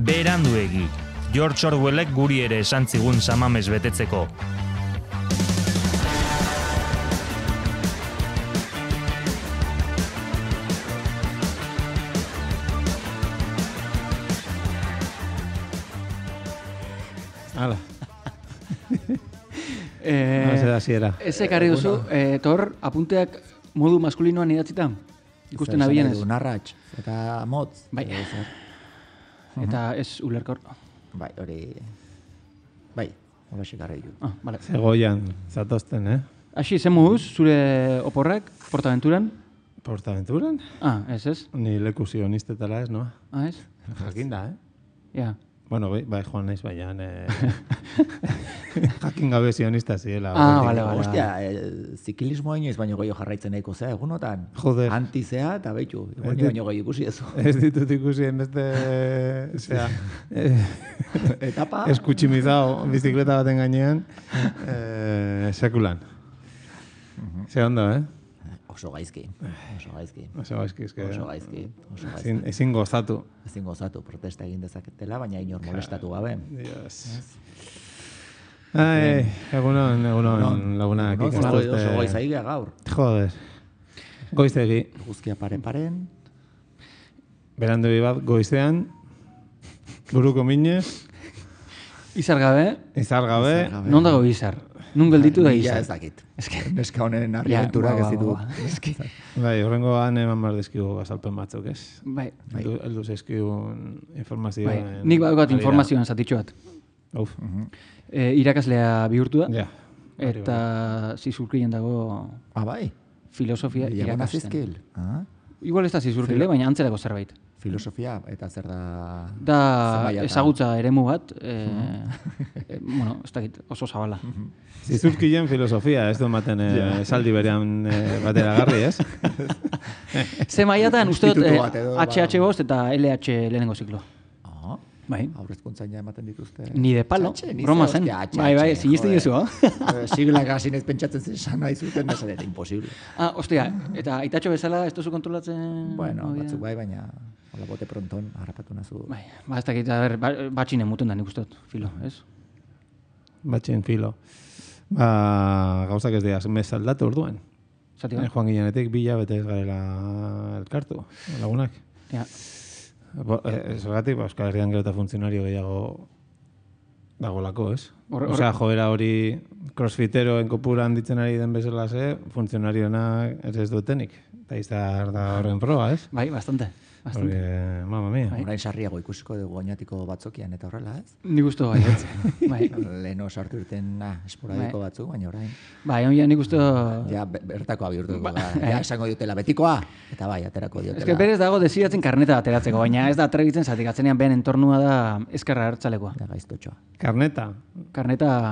Beranduegi. George Orwellek guri ere esan zigun samamez betetzeko. Hala. Ez ekarri duzu, Tor, apunteak modu maskulinoan idatzita? Ikusten abienez. Narratx eta motz. Bai. Eta ez ulerkor. Bai, hori... Bai, hola xekarri du. Vale. Zegoian, zatozten, Aixi, zemuz, zure oporrak, Portaventuran? Portaventuran? Ez. Ni leku zionistetara ez, no? Ez? Jakin da, Ja. Bueno, bai, joan naiz baian. Jakin gabe zionista ziela. Vale. Ostia, zikilismoa inoiz baino gehiago jarraitzen nahiko zea, egunotan. Joder. Antizea eta behitu. Egun baino gehiago ikusi ezu. Ez ditut ikusien beste... Etapa? Eskutximizao bizikleta baten gainean. Sekulan. Ze ondo, Oso gaizki. Ezin gozatu. Ezin gozatu, protesta egin dezaketela, baina inor molestatu gabe. Egunon, lagunak. Oso goizaigia gaur. Joder. Goizegi. Guzkia paren. Berandu bat goizean. Buruko minez. Izar gabe. Non dago izar? Nun gelditu da izar? Ez dakit. Neska honen arribenturak ez ditu. Bai, horrengoan eman bar dizkigu azalpen batzuk, ez? Bai. Eldu zeizkigun informazioa. Nik badukat informazioan zatitxo bat. Irakaslea bihurtu da. Ja. Eta zizurkien dago... Bai? Filosofia irakasten. Igual ez da zizurkile, baina antzerako zerbait. Filosofia, eta zer da... Da ezagutza eremu bat, bueno, ez dakit, oso zabala. Zizurkien filosofia, ez du maten esaldi berean bateragarri, ez? Ze maiatan, uste dut, HH bost eta LH lehenengo ziklo. Bai. Aurrezkuntzan ja ematen dituzte. Ni de palo, broma zen. Bai, sinisten jesu, Siglak hasi nez pentsatzen zen sana izuten, da zer, imposible. Ostia, eta aitatxo bezala ez duzu kontrolatzen... Bueno, batzuk bai, baina hola bote pronton harrapatu nazu. Bai, ez dakit, batxinen mutun da nik uste dut, filo, ez? Batxin filo. Gauzak ez dira, mez aldatu orduan. Joan ginenetik bila bete ez garela elkartu, lagunak. Ja. Zergatik, Euskal Herrian gero eta funtzionario gehiago dagolako, ez? Osea, joera hori crossfiteroen kopura handitzen ari den bezala ze, funtzionarioenak ez dutenik. Eta izar da horren proba, ez? Bai, bastante. Porque, mamma mia. Orain sarriago ikusiko dugu oinatiko batzokian eta horrela, ez? Nik uste bai, ez? Leheno sartu irten esporadiko batzuk, baina orain. Bai, nik uste... Ja, bertakoa bihurtuko da. Ja, esango diotela betikoa, eta bai, aterako diotela. Ez que berez dago desiratzen karneta ateratzeko, baina ez da atrebitzen zatik, atzenean behen entornua da ezkerra hartzalekoa. Da gaiztotxoa. Karneta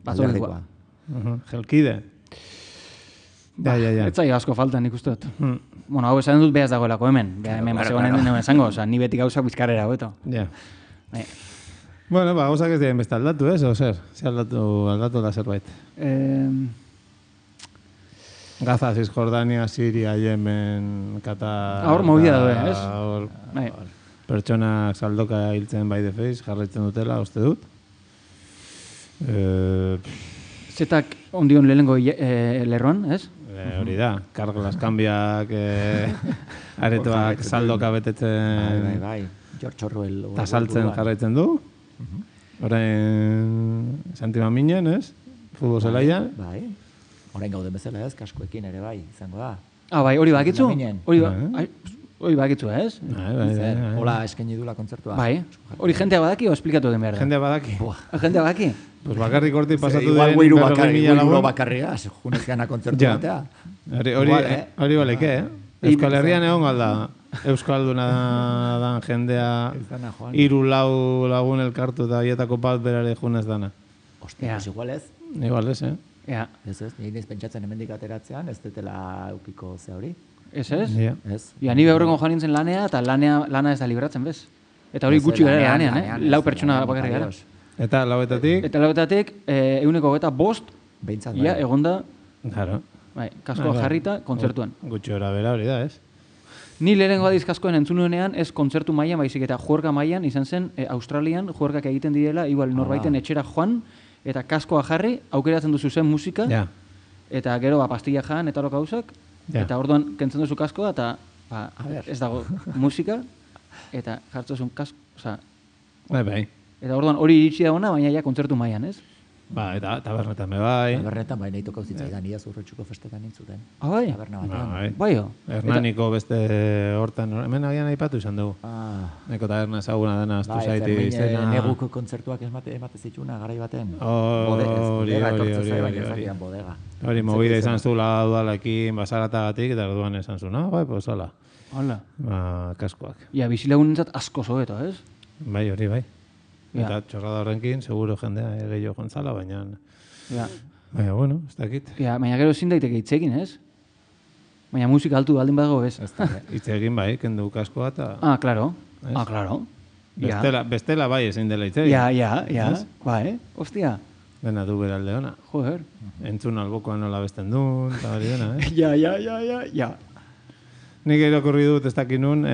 batzolekoa. Jelkide. Ja. Ez zai asko falta nik uste dut. Bueno, hau esan dut behaz dagoelako hemen. Hemen basegoen den esango, ni beti gauzak bizkarrera hobeto. Ja. Bueno, gauzak ez diren beste aldatu, ez? O zer? Ze aldatu da zerbait? Gaza, Cisjordania, Siria, Yemen, Qatar... Hor movida daude, ez? Pertsonak saldoka hiltzen bai defeiz, jarraitzen dutela, uste dut. Zetak ondion lehenengo lerroan, ez? Hori da, Carglass kanbiak, aretoak saldoka betetzen... Bai, George Orwell... Eta saltzen jarraitzen du. Orain Santi Maminen, ez? Futbol zelaian. Bai, orain gauden bezala, ez? Kaskoekin ere bai, izango da. Bai, hori bakitzu? Hori bakitzu, ez? Bai. Hola, eskaini dula kontzertua. Bai, hori jentea badaki o esplikatu den behar da? Jentea badaki. Jentea badaki? Pues bakarrik hortik pasatu den... Igual guiru bakarria, junez gana kontzertu batea. Hori baleke, Euskal Herrian egon galda. Euskalduna dan jendea 3-4 lagun elkartu eta hietako bat berare junez dana. Ostia, pues igual ez. Igual ez, Ja. Ez, nire pentsatzen hemendik ateratzean, ez detela eukiko ze hori. Ez? Ez. Ja, ni behorrengo joan nintzen lanea, eta lana ez da libratzen, bez? Eta hori gutxi gara lanean, Lau pertsona bakarri gara. Eta lauetatik? Eta lauetatik, 105 Behintzat, ia, egonda, Claro. kaskoa jarrita, kontzertuan. Gutxi hora bera hori da, ez? Ni lehenengo dizkaskoen entzunuenean ez kontzertu mailan baizik eta juerga mailan izan zen Australian juergak egiten direla, igual norbaiten etxera joan eta kaskoa jarri, aukeratzen duzu zen musika, eta gero pastilla jan eta hor gauzak, eta orduan kentzen duzu kaskoa eta ez dago musika, eta jartzezun kasko, oza... Bai. Eta orduan hori iritsi da ona, baina ja kontzertu mailan, ez? Ba, eta tabernetan me bai. Tabernetan bai, nahi tokau zitzaidan, ia zurretxuko festetan nintzuten. Bai? Taberna batean. Bai, Hernaniko beste hortan, hemen agian aipatu izan dugu. Neko taberna ezaguna dena, aztu zaiti izena. Neguko kontzertuak emate zitxuna, garai baten. Hori. Hori, mobile izan zula udalekin, basaratagatik, eta orduan esan zu, no? Bai, pues hola. Hola. Kaskoak. Ja, bizilagunentzat asko zobeto, ez? Bai, hori, bai. Eta txorrada horrenkin, seguro jendea gehiago jontzala, baina... Baina, bueno, ez dakit. Baina gero ezin daiteke hitzekin, ez? Baina musika altu baldin badago, ez? Hitzekin bai, kendu kaskoa eta... Claro. Claro. Bestela bai ezin dela hitzegin. Ja. Bai, ostia. Dena du beralde ona. Joder. Entzun albokoa nola besten duen, eta hori dena, eh? Ja. Nik irakurri dut ez dakit nun,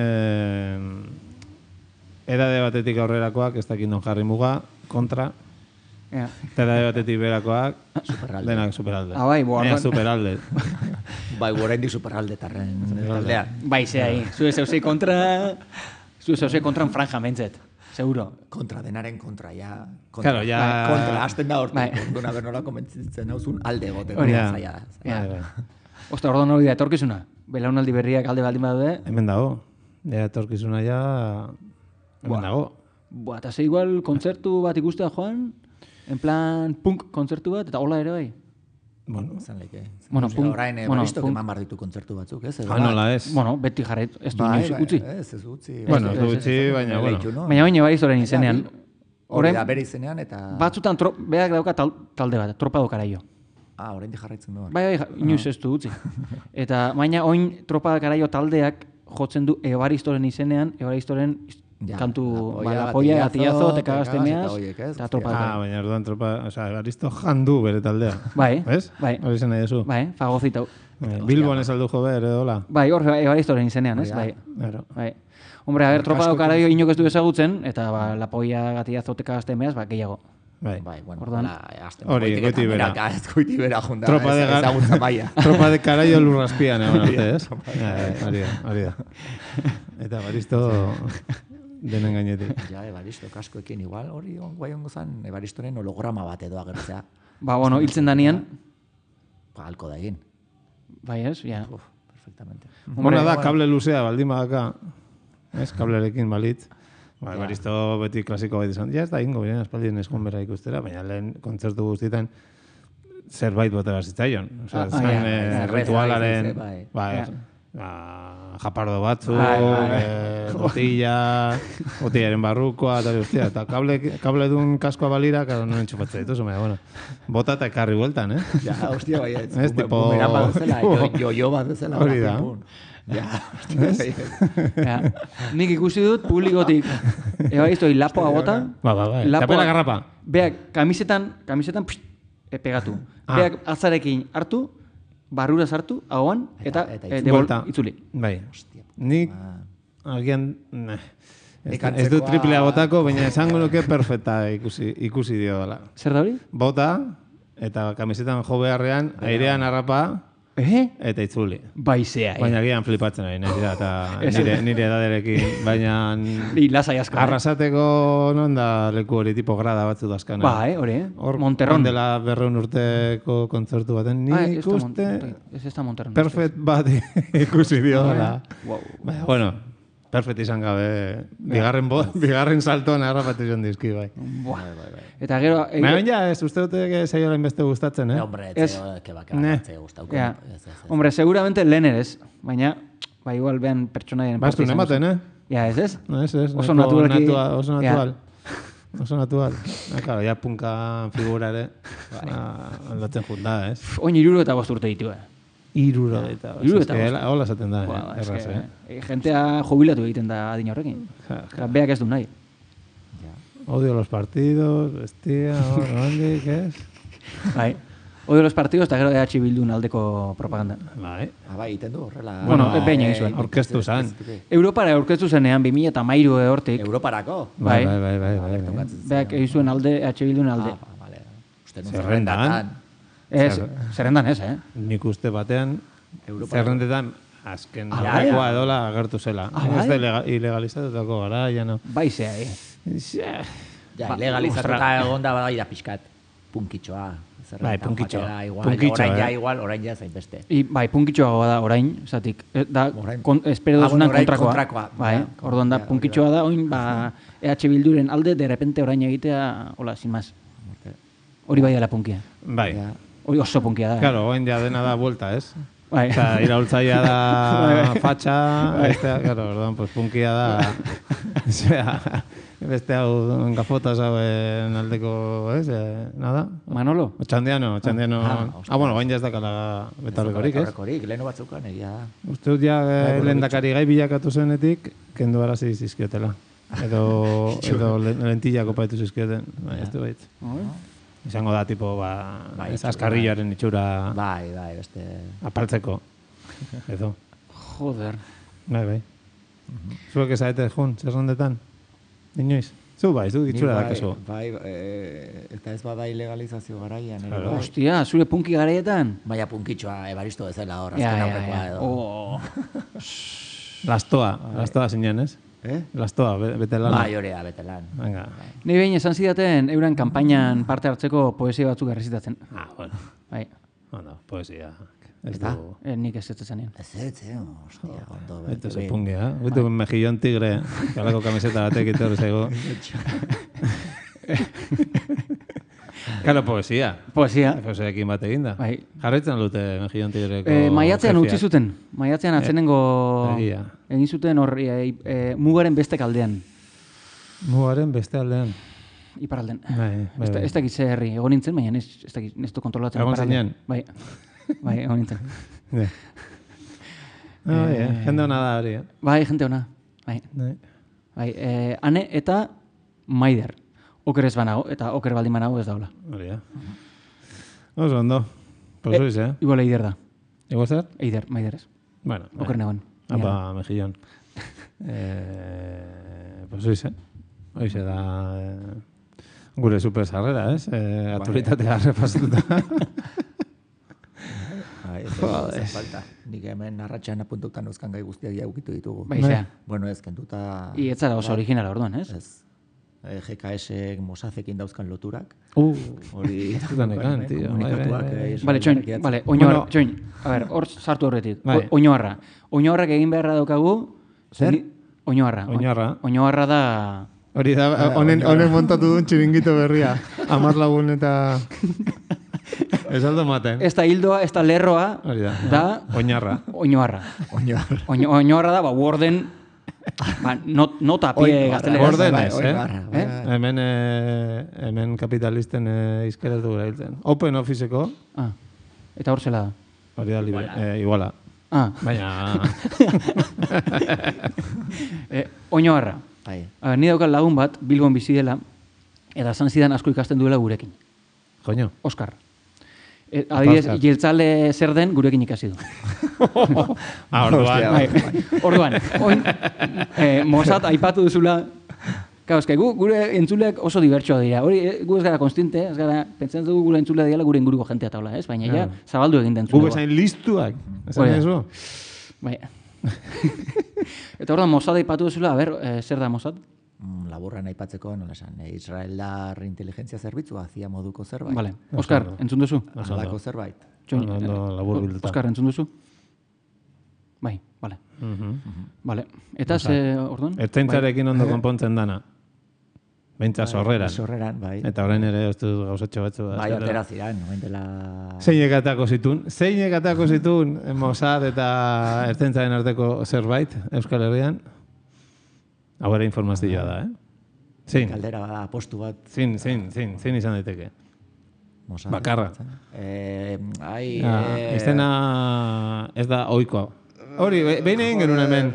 edade batetik aurrerakoak, ez dakit non jarri muga, kontra. Eta edade batetik berakoak, denak superalde. Bai, superalde. Bai, oraindik superalde tarren taldean. Bai, zehai. Zue zeuzei kontran franja mentzet. Seguro. Kontra, denaren kontra, ja. Claro, ja... Kontra, hasten da hortik. Duna bernola komentzitzen hauzun alde goten. Zaila. Osta, orduan hori da etorkizuna. Belaunaldi berriak alde baldin badaude. Hemen dago. Etorkizuna ja... Hemen dago. Eta ze igual kontzertu bat ikustea joan, en plan punk kontzertu bat, eta hola ere bai. Bueno, zan leke. Punk. Orain, baristok eman bar ditu kontzertu batzuk, ez? Nola ez. Bueno, beti jarret, ez du inoiz utzi. Ez utzi. Bueno, ez utzi, baina, bueno. Baina baristoren izenean. Hori da, bere izenean, eta... Batzutan berak dauka talde bat, Tropa do Karaio. Orain di jarraitzen duan. Bai, inoiz ez du utzi. Eta, baina oin Tropa do Karaio taldeak jotzen du Evaristoren izenean, Evaristoren kantu, la polla, gatillazo, te cagaste meas, eta Tropa do Karaio. Baina orduan Tropa, oza, Evaristo jandu bere taldea. Bai. Ez? Bai. Hori zen nahi ezu. Bai, fagozitau. Bilbon ez aldu jo behar, edo hola. Bai, hor Evaristoren izenean, ez? Bai. Hombre, a ver, Tropa do Karaio inok ez du ezagutzen, eta la polla, gatillazo, te cagaste meas, gehiago. Bai, bueno, hori, goiti bera. Goiti bera junta, ezagutza maia. Tropa de Karaio lurraspian, egon arte, ez? Hori da. Eta Evaristo denen gainetik. Ja, Evaristo kaskoekin igual, hori guai ongo zan, Evaristoren holograma bat edo agertzea. Ba, bueno, hiltzen danean. Halko da egin. Bai, ez, ja. Perfectamente. Bona da, kable luzea, baldin badaka, ez, kablerekin balit. Ba, Evaristo beti klasiko bat izan. Ja, ez da ingo, biren espaldien eskon bera ikustera, baina lehen kontzertu guztietan zerbait bote bazitzaion. Osa, zain ritualaren, japardo batzuk, botillaren barrukoa, eta kable dun kaskoa balira, karo, non entxupatzea dituz, bueno, bota eta ekarri bueltan, eh? Ja, hostia, bai, ez, tipo... Bumeran bat dezela, jo bat dezela. Hori da. Ja, nik ikusi dut publikotik Evaristoi lapoa bota. Bai. Tapela garrapa. Beak kamisetan pegatu. Beak atzarekin hartu, barrura sartu, ahoan, eta itzuli. Bai. Nik, agian, ez du triplea botako, baina esango nuke perfecta ikusi dio dela. Zer da hori? Bota, eta kamisetan jo beharrean, airean harrapa, eta itzuli. Baizea, Baina gian flipatzen ari, nire edaderekin, baina... Lasai asko. Arrasateko, non da leku hori tipo grada batzu dazkana. Bai, hori, Monterron. Dela 200 urteko kontzertu baten, nik ikuste... Ez da Monterron. Perfect bat ikusi dio dela. Bueno, perfect izan gabe, bigarren saltoan harrapatu izan dizki, bai. Eta gero... Baina ja, ez uste dute zaiola inbeste gustatzen, eh? Hombre, que gustauko. Hombre, seguramente lehen ez, baina, igual behan pertsonaien... Bastu nematen, eh? Ja, ez? Ez. Oso naturalki... Oso natural. Claro, ja punkan figura ere, aldatzen junda, ez? Oin 65 urte ditu, Iruro eta hola esaten da, erraz, Gentea jubilatu egiten da adin horrekin. Beak ez du nahi. Odio los partidos, bestia, hondik, ez? Bai. Odio los partidos eta gero EH Bildun aldeko propaganda. Bai. Bai, iten du horrela. Bueno, behin egin zuen. Orkestu zan. Europara aurkeztu zenean 2013 hortik. Europarako? Bai. Beak egin zuen alde, EH Bildun alde. Vale. Uste nun Zerrendan. Zerrendan ez, Nik uste batean, zerrendetan azken bai? lekoa edola agertu zela. Ez da ilegalizatutako gara, ja no. Bai zea, Ja, ilegalizatuta egonda badaira pixkat. Punkitxoa. Bai, punkitxoa. Orain ja zain beste. Bai, punkitxoa da orain, zatik. Da, espero dozunan kontrakoa. Bai, orduan da, punkitxoa da, oin, EH Bilduren alde, de repente orain egitea, hola, sin más. Hori bai dela punkia. Bai. Hori oso punkia da. Claro, oin ja dena da vuelta, ez? Bai. Oza, iraultzaia da fatxa, claro, orduan, pues punkia da, beste hau gafotas hauen aldeko, ez? Nada? Manolo? Txandiano. Bueno, bain jaz dakala betarrekorik, ez? Betarrekorik, leheno batzukan, egia da. Uste dut ja lehendakari gai bilakatu zenetik, kendu arazi zizkiotela. Edo lentillako paitu zizkioten, ez du baitz. Izango da, tipo, ez askarrilloaren itxura... Bai, beste... Apaltzeko. Edo. Joder. Bai. Zuek ezaete jun, zerrondetan? Inoiz? Zu bai, zu itxura dakazu. Bai, eta ez bada ilegalizazio garaian. Hostia, zure punki garaietan? Baina punkitxoa, ebaristo bezala hor, azken aurrekoa edo. Lastoa zinen, ez? Lastoa, betelan. Bai, horea, betelan. Nei behin esan zidaten euren kanpainan parte hartzeko poesia batzuk errezitatzen. Bueno. Bai. Bueno, poesia. Eta? Nik ez zanien. Ez, hostia, ondo. Eto se pungia, Gutu mejillón tigre, kalako kamiseta batek itor zaigo. Kalo, poesia. Poesiaekin bat eginda. Jarraitzen dute mejillón tigreko... Maiatzean utzi zuten. Maiatzean atzenengo... Egin zuten horri mugaren beste kaldean. Mugaren beste aldean. Iparalden. Ez dakit ze herri. Egon nintzen, baina ez du kontrolatzen. Egon zinen? Bai, egon nintzen. Jende hona da hori, Bai, jende hona. Bai, Ane eta Maider. Oker ez banago, eta oker baldin banago ez daula. Hori, Oso ondo. Posoiz, Igual Eider da. Igual zer? Eider, Maider ez. Bueno. Oker negon. Apa, mejillón. Posoiz, Hoize da... Gure super sarrera, ez? Aktualitatea repasatuta. Ez falta. Nik hemen arratxan apuntutan euskan gai guztiak jaukitu ditugu. Baizea. Bueno, ez kentuta... I etzara oso originala orduan, ez? Ez. GKS Mosazekin dauzkan loturak. Hori... Zutanekan, tío. Bale, txoin. A ver, hor sartu horretik. Oñoarra. Oñoarrak egin beharra daukagu... Zer? Oñoarra da... Hori da, honen montatu duen txiringito berria. 10 lagun eta... Ez aldo maten. Ez da hildoa, ez da lerroa. Hori da. Oñarra. Oñoarra da, Warden... Nota pie gaztelera. Warden ez, Hemen kapitalisten izkeretu gara hiltzen. Open Officeko. Eta hor zela da. Hori da, iguala. Baina... Oñoarra. Ni daukat lagun bat, Bilbon bizi dela, eta zan zidan asko ikasten duela gurekin. Joño. Oskar. Adibidez, jeltzale zer den gurekin ikasi du. Orduan. Mossad aipatu duzula. Gure entzuleak oso dibertsoa dira. Hori, gu ez gara konstinte, ez gara, pentsatzen dugu gure entzulea dira gure inguruko jentea taula, ez? Baina ja, zabaldu egin den entzulegoa. Gu bezain listuak, esan eso? Baina. Eta orduan, Mossad aipatu duzula, a ber, zer da Mossad? Laburran aipatzeko, nola esan, Israeldar inteligentzia zerbitzua, zia moduko zerbait. Vale. Oskar, entzun duzu? Alako zerbait. Oskar, entzun duzu? Bai, vale. Vale. Eta ze, orduan? Ertzaintzarekin ondo konpontzen dana. Beintza sorreran. Sorreran, bai. Eta orain ere oztu gauzatxo batzu. Bai, atera ziren, noen dela... Zeinek atako zitun Mossad eta ertzaintzaren arteko zerbait, Euskal Herrian. Hau ere informazioa da, Zin. Kaldera bada, apostu bat. Zin izan daiteke. Bakarra. Izena ez da oikoa. Hori, behin egin genuen hemen,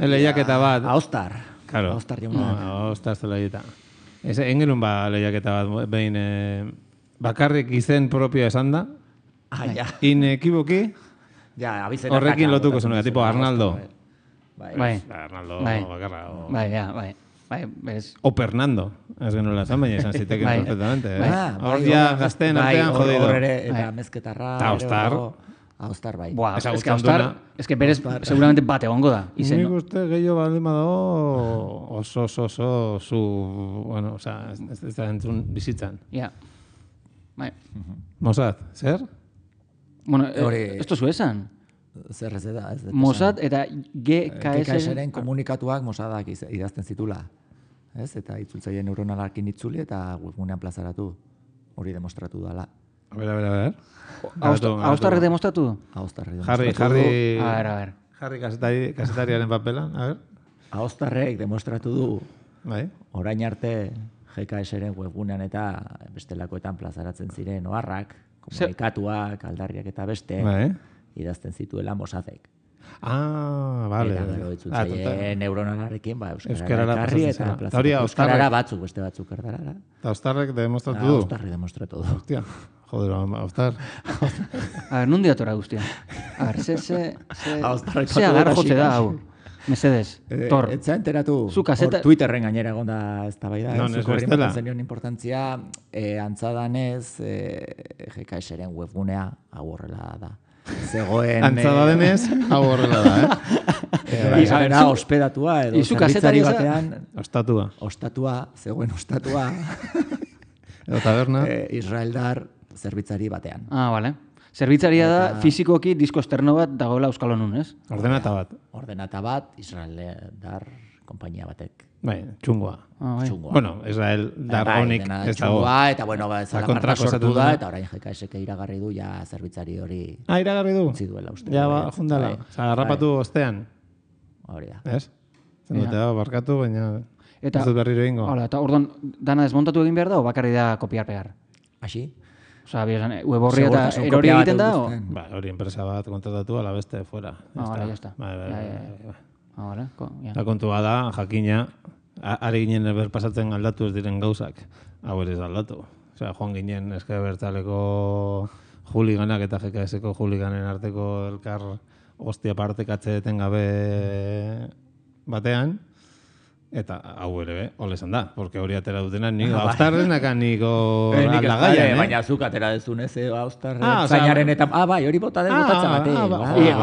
lehiaketa bat. Aostar. Claro. Aostar jauna. Aostar zela egita. Egin genuen lehiaketa bat, behin bakarrik izen propioa esan da, Inekiboki, horrekin lotuko zenuen, tipo Arnaldo. Bai. Arnaldo bakarra. Bai. O Fernando, ez genuela zan, baina esan ziteken perfectamente. Hor Bai, ja gazten artean jodido. Hor ere, eta mezketarra. Eta Austar. Austar, bai. Buah, es que Austar, es que berez seguramente bate egongo da. Nik uste gehiago baldin badago oso zu, bueno, oza, ez da entzun bizitzan. Ja. Bai. Mossad, zer? Bueno, esto zu esan. Zer ez da, ez da. Mossad eta GKS-ren komunikatuak Mossadak idazten zitula. Ez? Eta itzultzaile neuronalarekin itzuli eta webgunean plazaratu. Hori demostratu dala. A ver. Austarrek demostratu du? Austarrek demostratu du. A ver. Jarri kasetariaren papelan, a ver. Austarrek demostratu du. Bai. Orain arte GKS-ren webgunean eta bestelakoetan plazaratzen ziren oharrak, komunikatuak, aldarriak eta beste, idazten zituela Mossadek. Vale. Eta gero itzultzaile neuronalarekin, euskarara ekarri eta euskarara batzuk, beste batzuk erdarara. Eta Austarrek demostratu du? Austarrek demostratu du. Hostia, joder, Austar. A ver, nundi atora guztia. A ver, ze agar jotze da, hau. Mesedes, Tor. Etza enteratu, Twitterren gainera egonda ez da bai da. Zuko herri maten zenion importantzia, antzadanez, GKS-ren webgunea hau horrela da. Zegoen... Antzadanez, hau horrela da, Izabera ospedatua edo zerbitzari batean... Ostatua. Zegoen ostatua. Edo taberna. Israeldar zerbitzari batean. Vale. Zerbitzaria da, fizikoki disko esterno bat dagoela Euskal Honun, ez? Ordenata bat, Israeldar kompainia batek. Bai, txungoa. Bueno, Israeldar honik ez dago. Eta bueno, zalaparra sortu da, eta orain GKS-ek iragarri du, ja zerbitzari hori... iragarri du? Utzi duela uste. Ja, jundala. Zagarrapatu ostean. Hori da. Ez? Zendotea barkatu, baina... Ez dut berriro ingo. Eta orduan, dana desmontatu egin behar da, o bakarri da kopiar-pegar? Asi? Osa, web horri eta erori egiten da? Ba, hori enpresa bat kontratatu ala beste fuera. Vale, ya está. Vale. La kontua da, jakina, ari ginen berpasatzen aldatu ez diren gauzak. Hau ere ez aldatu. Osea, joan ginen eske bertaleko juliganak eta GKS-ko juliganen arteko elkar hostia partekatze etengabe batean. Eta hau ere, ole esan da, porque hori atera dutena niko Austarrenaka niko aldagaian, Baina zuk atera dezun ez, Austarren zainaren eta... bai, hori bota den botatza bate.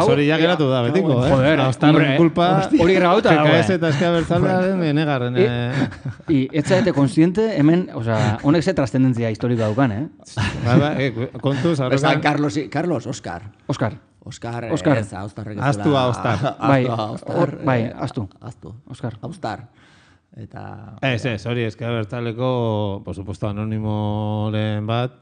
Hori ja geratu da, betiko, Austarren kulpa... Hori grabauta dago, GKS eta Ezker Abertzalearen benegarren. Ez zaite konstiente, hemen, honek ze trascendentzia historiko daukan, Kontuz, horrekan... Carlos, Oscar, ez, Austarrek ez dela... Astu. Austar. Eta... hori Ezker Abertzaleko, por supuesto, anonimoren bat,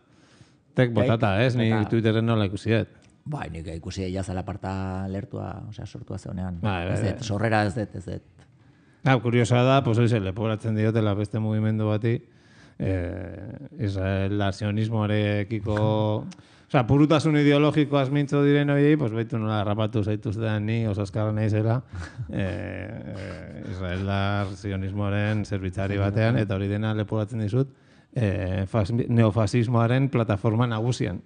tek botata, ni Twitterren nola ikusiet. Bai, nik ikusi jazala parta lertua, sortua zeunean. Sorrera ez dut. Kuriosa da, pues hori leporatzen diotela beste mugimendu bati, Israel sionismoarekiko... Osa, purutasun ideologikoaz mintzo diren horiei, pues baitu nola rapatu zaituztean ni, oso azkarra nahi zera, Israeldar sionismoaren zerbitzari batean, eta hori dena leporatzen dizut, neofasismoaren plataforma nagusian.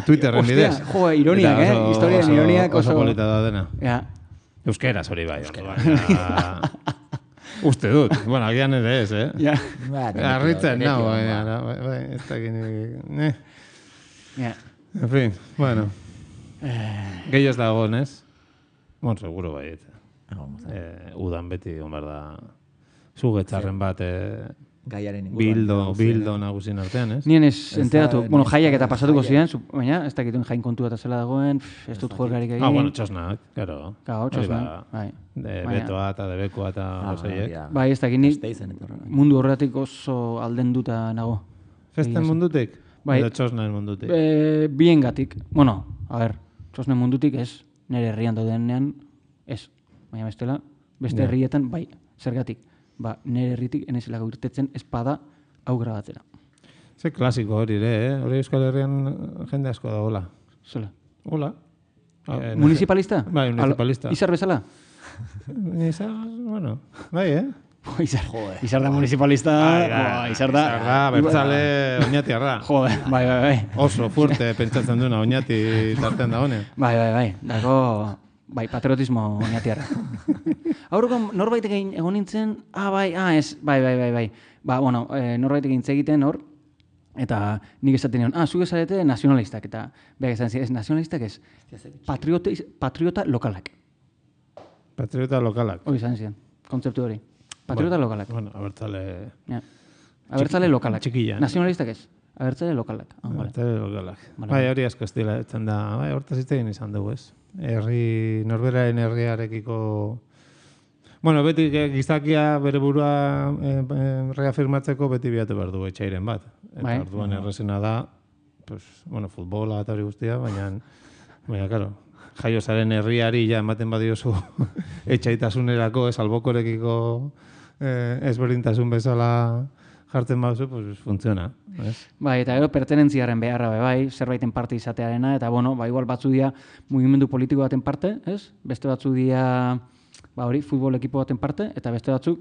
Twitterren bidez. Jo, ironiak, historiaren ironiak oso polita da dena. Euskeraz hori bai. Uste dut. Bueno, agian ere ez, Arritzen, bai, ez dakin... En fin, bueno. Gehiago ez dago, ez? Bon, seguro baiet. Udan beti, omar da, zugetxarren bat bildo nagusien artean, ez? Nien ez enteratu, bueno, jaiak eta pasatuko ziren, baina ez dakituen jain kontua eta zela dagoen, ez dut juergarik egin. Bueno, txosnak, claro. Txosnak, bai. Betoa eta debekoa eta gozeiek. Bai, ez dakit nik mundu horretik oso aldenduta nago. Festen mundutik? Edo txosnen mundutik? Biengatik. Bueno, a ver, txosnen mundutik ez, nire herrian daudenean ez. Baina bestela, beste herrietan, bai, zergatik. Nire herritik enezela gaurtetzen espada hau grabatzera. Ze klasiko hori ere, hori Euskal Herrian jende asko da, hola. Zela. Hola. Municipalista? Bai, municipalista. Izar bezala? Izar, bueno, bai, Izar da municipalista, izar da... Bertzale oinatiarra. Jode, bai. Oso fuerte pentsatzen duena oinati tartean da honen. Bai. Dago, patriotismo oinatiarra. Aurreko norbaitek egon nintzen, bai. Norbaitek egin egiten hor, eta nik esaten nion, zuk esarete nazionalistak, eta behar esan ez nazionalistak ez, patriota lokalak. Patriota lokalak. Hori izan ziren, kontzeptu hori. Patriota lokalak. Bueno, abertzale... Abertzale lokalak. Txikilla. Nazionalistak ez. Abertzale lokalak. Abertzale lokalak. Bai, hori asko estila etzen da. Bai, hortaz iztegin izan dugu ez. Norberaren herriarekiko... Bueno, beti gizakia bere burua reafirmatzeko beti biatu behar du etxairen bat. Eta orduan errezena da, futbola eta hori guztia, baina, karo, jaiozaren herriari ja ematen badiozu etxaitasunerako, albokorekiko ezberdintasun bezala jartzen baduzu, pues funtziona. Bai, eta gero pertenentziaren beharra bai, zerbaiten parte izatearena, eta igual batzu dira mugimendu politiko baten parte, ez? Beste batzu dira, futbol ekipo baten parte, eta beste batzuk,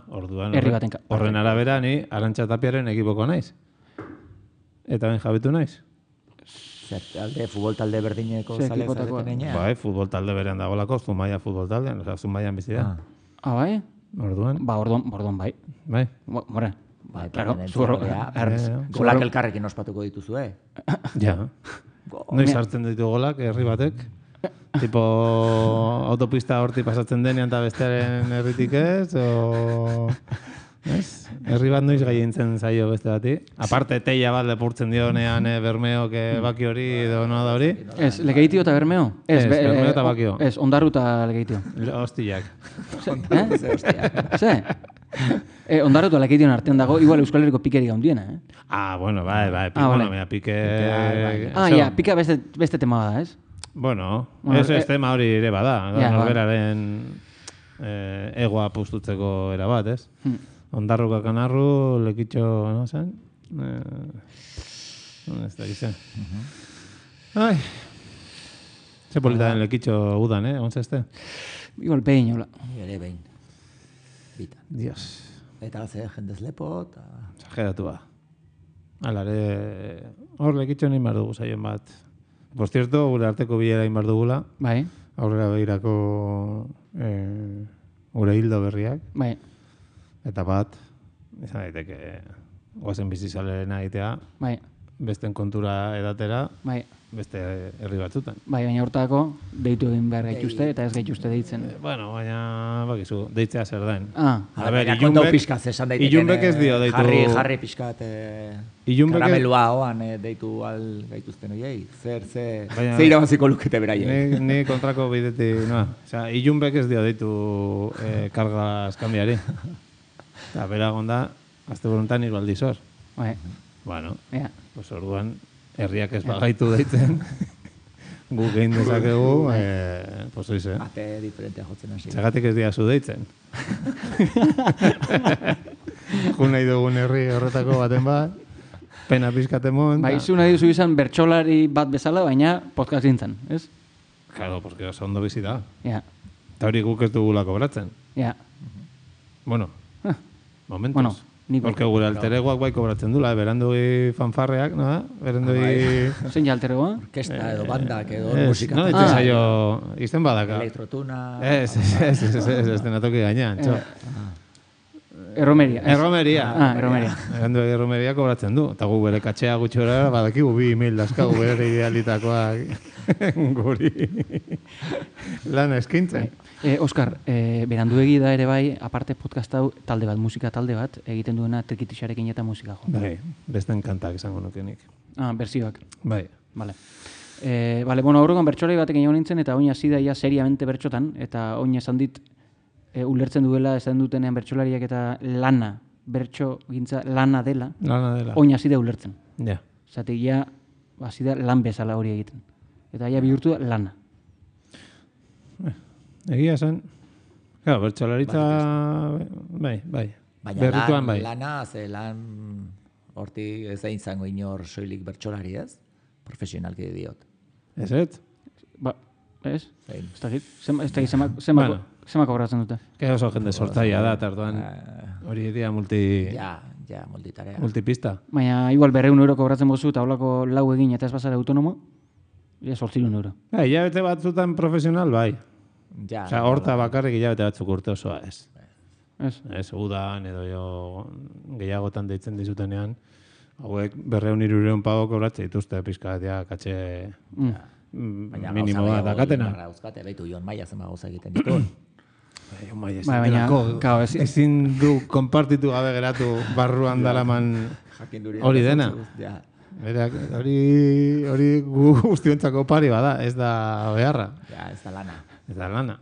orduan, herri baten parte. Horren arabera, ni Arantxa Tapiaren ekipoko naiz. Eta ben jabetu naiz. Futbol talde berdineko zale zareten enean? Bai, futbol talde berean dagolako, Zumaia futbol taldean, Zumaian bizi da. Bai? Orduan? Orduan bai. Bai? More. Bai, golak elkarrekin ospatuko dituzu, Ja. Noiz hartzen ditu golak, herri batek? Tipo, autopista horti pasatzen denean eta bestearen herritik ez, herri bat noiz gaientzen zaio beste bati. Aparte, teia bat lepurtzen dionean Bermeo, baki hori, edo noa da hori. Ez, Legeitio eta Bermeo? Ez, Bermeo eta bakio. Ez, Ondarru eta Legeitio. Hostiak. Ze? Ondarru eta Legeition artean dago, igual Euskal Herriko pikerik gaundiena, Bueno, bai, pike... Pika beste tema da, ez? Bueno, ez tema hori ere bada, norberaren egoa pustutzeko era bat, ez? Ondarruka kanarru, lekitxo, no zen? Ez da gizien. Ai, ze polita den lekitxo udan, ontsa este? Igual behin, hola. Ere behin. Bita. Dios. Eta ze jendez lepo, eta... Zageratu ba. Alare, hor lekitxo nahi mar dugu zaion bat. Por cierto, gure arteko bilera inbar dugula. Bai. Aurrera behirako gure hildo berriak. Bai. Eta bat, izan daiteke, guazen bizizalena egitea. Bai. Besten kontura edatera. Bai. Beste herri batzutan. Bai, baina hortako deitu egin behar gaituzte eta ez gaituzte deitzen. Bueno, baina, bakizu, deitzea zer den. A ber, Ilunbek ez dio deitu... Jarri pixkat karamelua hoan deitu gaituzten oiei. Ze irabaziko lukete beraiek. Ni kontrako bideti, noa. Osea, Ilunbek ez dio deitu karga eskambiari. Eta beragonda, azte buruntan irbaldiz hor. Bai. Bueno, pues orduan... Herriak ez bagaitu deitzen, gu gehin dezakegu, pues oize. Ate diferentea jotzen hasi. Txagatik ez diazu deitzen. Jun nahi dugun herri horretako baten bat, pena pizkatemon. Bai, zu nahi duzu izan bertsolari bat bezala, baina podcast gintzen, ez? Claro, porque oso ondo bizi da. Ja. Eta hori guk ez dugula kobratzen. Ja. Bueno, momentuz. Bueno. Porque gure alteregoak bai kobratzen dula, berandui fanfarreak, no? Berandui... Zein alteregoa? Orkesta edo bandak edo musika. No, ditzen zaio, izten badaka. Elektrotuna... Ez, denatoki gainean, txo. Erromeria. Erromeria. Erromeria. Erromeria kobratzen du. Eta gu bere katxea gutxora, badakigu 2 email dazkagu bere idealitakoak guri lan eskintzen. Oskar, beranduegi da ere bai, aparte podcast hau talde bat, musika talde bat, egiten duena trikitixarekin eta musika jo. Bai, besten kantak esango nukenik. Bersioak. Bai. Vale, bueno, aurrekoan bertsolari batek egin nintzen, eta oin hasi da ia seriamente bertxotan, eta oin esan dit, ulertzen duela, esan dutenean bertsolariak eta lana, bertso gintza lana dela. Lana dela. Oin hasi da ulertzen. Ja. Zatek ja, hasi da lan bezala hori egiten. Eta ja bihurtu da lana. Egia zen. Claro, bertsolaritza... Bai. Baina lana, ze lan horti ez da izango inor soilik bertsolari ez? Profesionalki diot. Ez? Ba, ez? Ez da Zema kobratzen dute? Oso jende sortzaia da, eta orduan hori dira multitarea. Multipista. Baina, igual 200 euro kobratzen bozu, eta holako lau egin eta ez bazara autonomo, ja 800 euro. Hilabete batzutan profesional, bai. Ja. Osea, horta bakarrik hilabete batzuk urte osoa ez. Ez, udan edo jo gehiagotan deitzen dizutenean, hauek 200-300 pago kobratzen dituzte pizkat, ja, katxe minimo bat dakatena. Baina, behitu, Jon Maia zenba gauza egiten dituen. Jon Maia ezin du konpartitu gabe geratu barruan dalaman hori dena. Hori guztiontzako pari bada, ez da beharra. Ja, ez da lana. Ez da lana.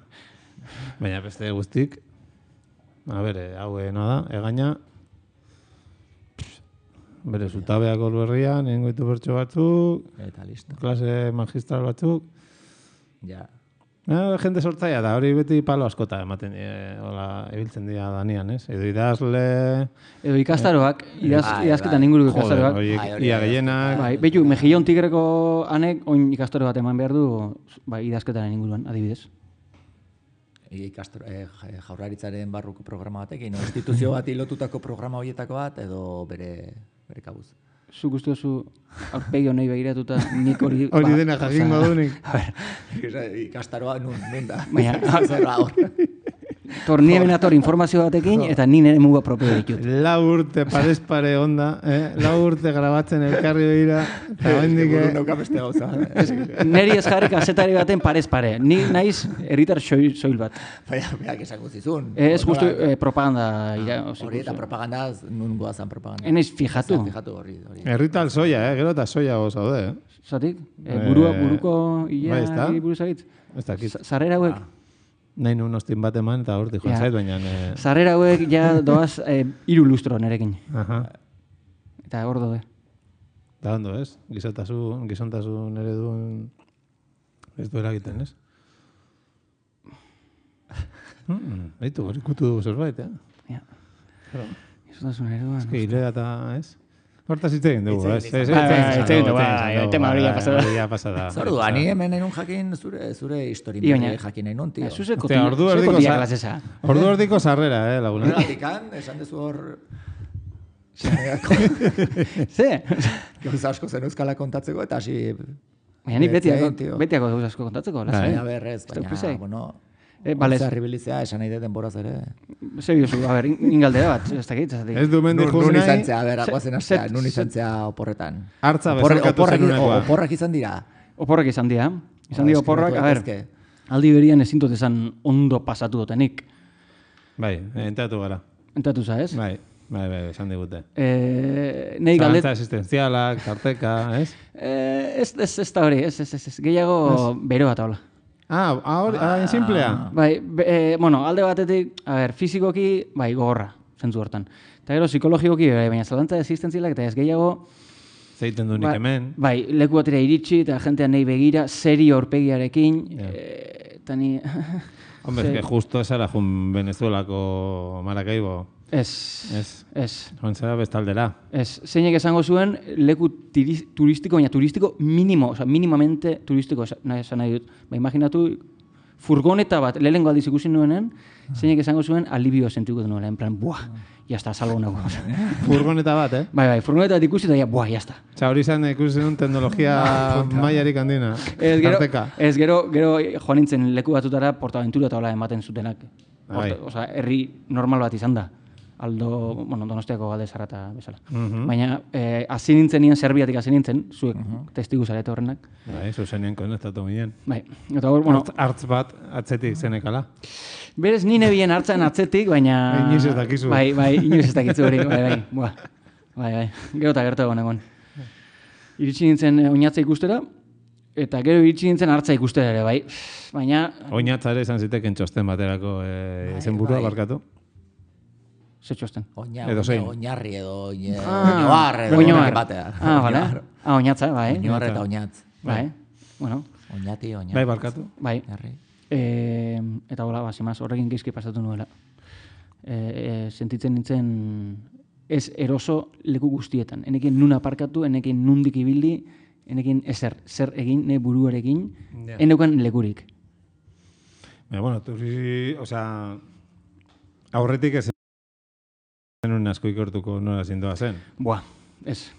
Baina beste guztik, hau da, egaina, bere zutabeak berrian, nengoitu bertso batzuk, eta listo. Klase magistral batzuk. Ja. Jende sortzaia da, hori beti palo askota ematen ebiltzen dira danian, ez? Edo idazle... Edo ikastaroak, idazketan inguruko ikastaroak. Ia gehienak... Behitu, Mejillon Tigreko anek, oin ikastaro bat eman behar du, idazketaren inguruan, adibidez. Jaurlaritzaren barruko programa batekin, instituzio bat lotutako programa horietako bat, edo bere kabuz. Zuk uste duzu aurpegi honei begiratuta nik hori... Hori dena jakingo dunik. Ikastaroa nun da. Baina, ni hemen ator informazio batekin eta ni nire muga propio ditut. 4 urte parez pare onda, 4 urte grabatzen elkarri begira, eta bendik... Neri ez jarri kasetari baten parez pare. Ni naiz herritar soil bat. Baina, esango zizun. Ez justu propaganda. Hori eta propaganda, nun goazan propaganda. Enaiz fijatu. Herritar soia, gero eta soia gozaude. Zatik? Buruko ia buruzagitz? Ez dakit. Sarrera hauek? Nahi nun ostin bat eman eta hortik joan zait, baina... Sarrera hauek ja doaz 3 lustro nerekin. Eta hor dode. Da ondo, ez? Gizontasun ereduen ez du eragiten, ez? Baitu, hori kutu dugu zerbait, Ja. Gizontasun ereduen... Ez que hilea eta, ez? Hortaz hitz egin dugu, ez? Tema hori ya pasada. Zordu, ani hemen nahi nun jakin zure historimia jakin nahi nun, tio. Ordu erdiko sarrera, laguna. Horregatikan, esan dezu hor... Ze? Gauza asko zen euskala kontatzeko, eta hasi... Baina ni betiako gauza asko kontatzeko, baina berrez, baina, bueno... Zarribilizea, esan nahi dut denboraz ere. Zer biozu, ingaldera bat, ez dakit. Ez du mendi juz nahi. Nun izan zea, aguazen astea, nun izan zea oporretan. Hartza bezalkatu zenunekoa. Oporrak izan dira. Oporrak izan dira. Izan dira oporrak, aldi berian ezin dut esan ondo pasatu dutenik. Bai, entatu gara. Entatu za, ez? Bai, esan digute. Zalantza existenzialak, tarteka, ez? Ez da hori, ez. Gehiago bero bat hola. En simplea? Bai, alde batetik, fizikoki, gogorra, zentzu hortan. Eta gero, psikologikoki, baina zalantza existentzialak, eta ez gehiago... Zeiten du nik hemen. Bai, leku batera iritsi, eta jentean nahi begira, serio horpegiarekin, eta ni... Hombre, es que justo esara jun Venezuelako Maracaibo. Ez. Joan zera bestaldera. Ez, zeinek esango zuen leku turistiko, baina turistiko minimo, oza, minimamente turistiko esan nahi dut. Imaginatu, furgoneta bat, lehenengo aldiz ikusi nuenen, zeinek esango zuen alibio sentiko nuela, en plan, buah, jazta, salgo nago. Furgoneta bat, Bai, furgoneta bat ikusi eta buah, jazta. Oza, hori zen ikusi nuen teknologia maiarik handina. Ez, gero joan nintzen leku batutara Portaventura eta hola ematen zutenak. Oza, herri normal bat izan da. Aldo, Donostiako Galde Zarrata bezala. Baina, hasi nintzen nien, Serbiatik hasi nintzen, zuek testigu zarete horrenak. Bai, zuzenien konektatu minen. Bai, eta hor, Artz bat atzetik zenekala. Berez, nine bien hartzen atzetik, baina... Inoiz ez dakizu. Bai, inoiz ez dakizu hori, bai. Gero eta gertu egon. Iritsi nintzen oinatza ikustera, eta gero iritsi nintzen hartza ikustera ere, bai. Baina... Oinatza ere izan ziteken txosten baterako izenburua barkatu. Ze txosten? Oinarri edo oinoar edo batea. Bale. Oinatza, bai. Oinoar eta oinatz. Bai, bueno. Oinati, oinatz. Bai, barkatu. Bai. Eta hola, simaz, horrekin gizki pasatu nuela. Sentitzen nintzen ez eroso leku guztietan. Enekin nun aparkatu, enekin nundik ibildi, enekin zer egin, ne buruarekin, eneukan lekurik. Bueno, aurretik ez zenun asko ikortuko nola zindoa zen. Ez.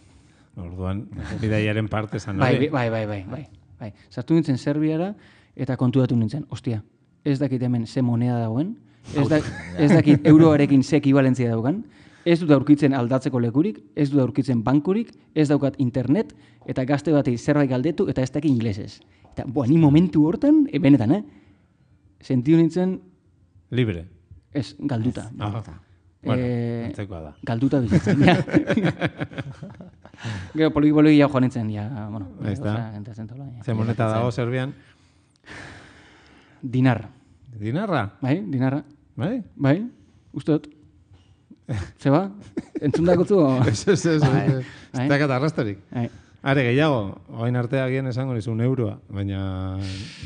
Orduan, bidaiaren parte zan hori. Bai. Sartu nintzen Serbiara eta kontudatu nintzen. Ostia, ez dakit hemen ze moneda dagoen, ez dakit euroarekin ze ekibalentzia daukan, ez dut aurkitzen aldatzeko lekurik, ez dut aurkitzen bankurik, ez daukat internet, eta gazte bati zerbait galdetu eta ez dakit inglesez. Eta, ni momentu hortan, benetan, sentiu nintzen... Libre. Ez, galduta. Antzekoa da. Galduta bizitzen, ja. Gero, poliki joan nintzen, ja, bueno. Ahí está. Ze moneta dago Serbian? Dinar. Dinarra? Bai, dinarra. Bai, usteot. Zeba? Entzun dakotzu? Ez dakat arrastarik. Are, gehiago, oain artea gien esango nizu euroa, baina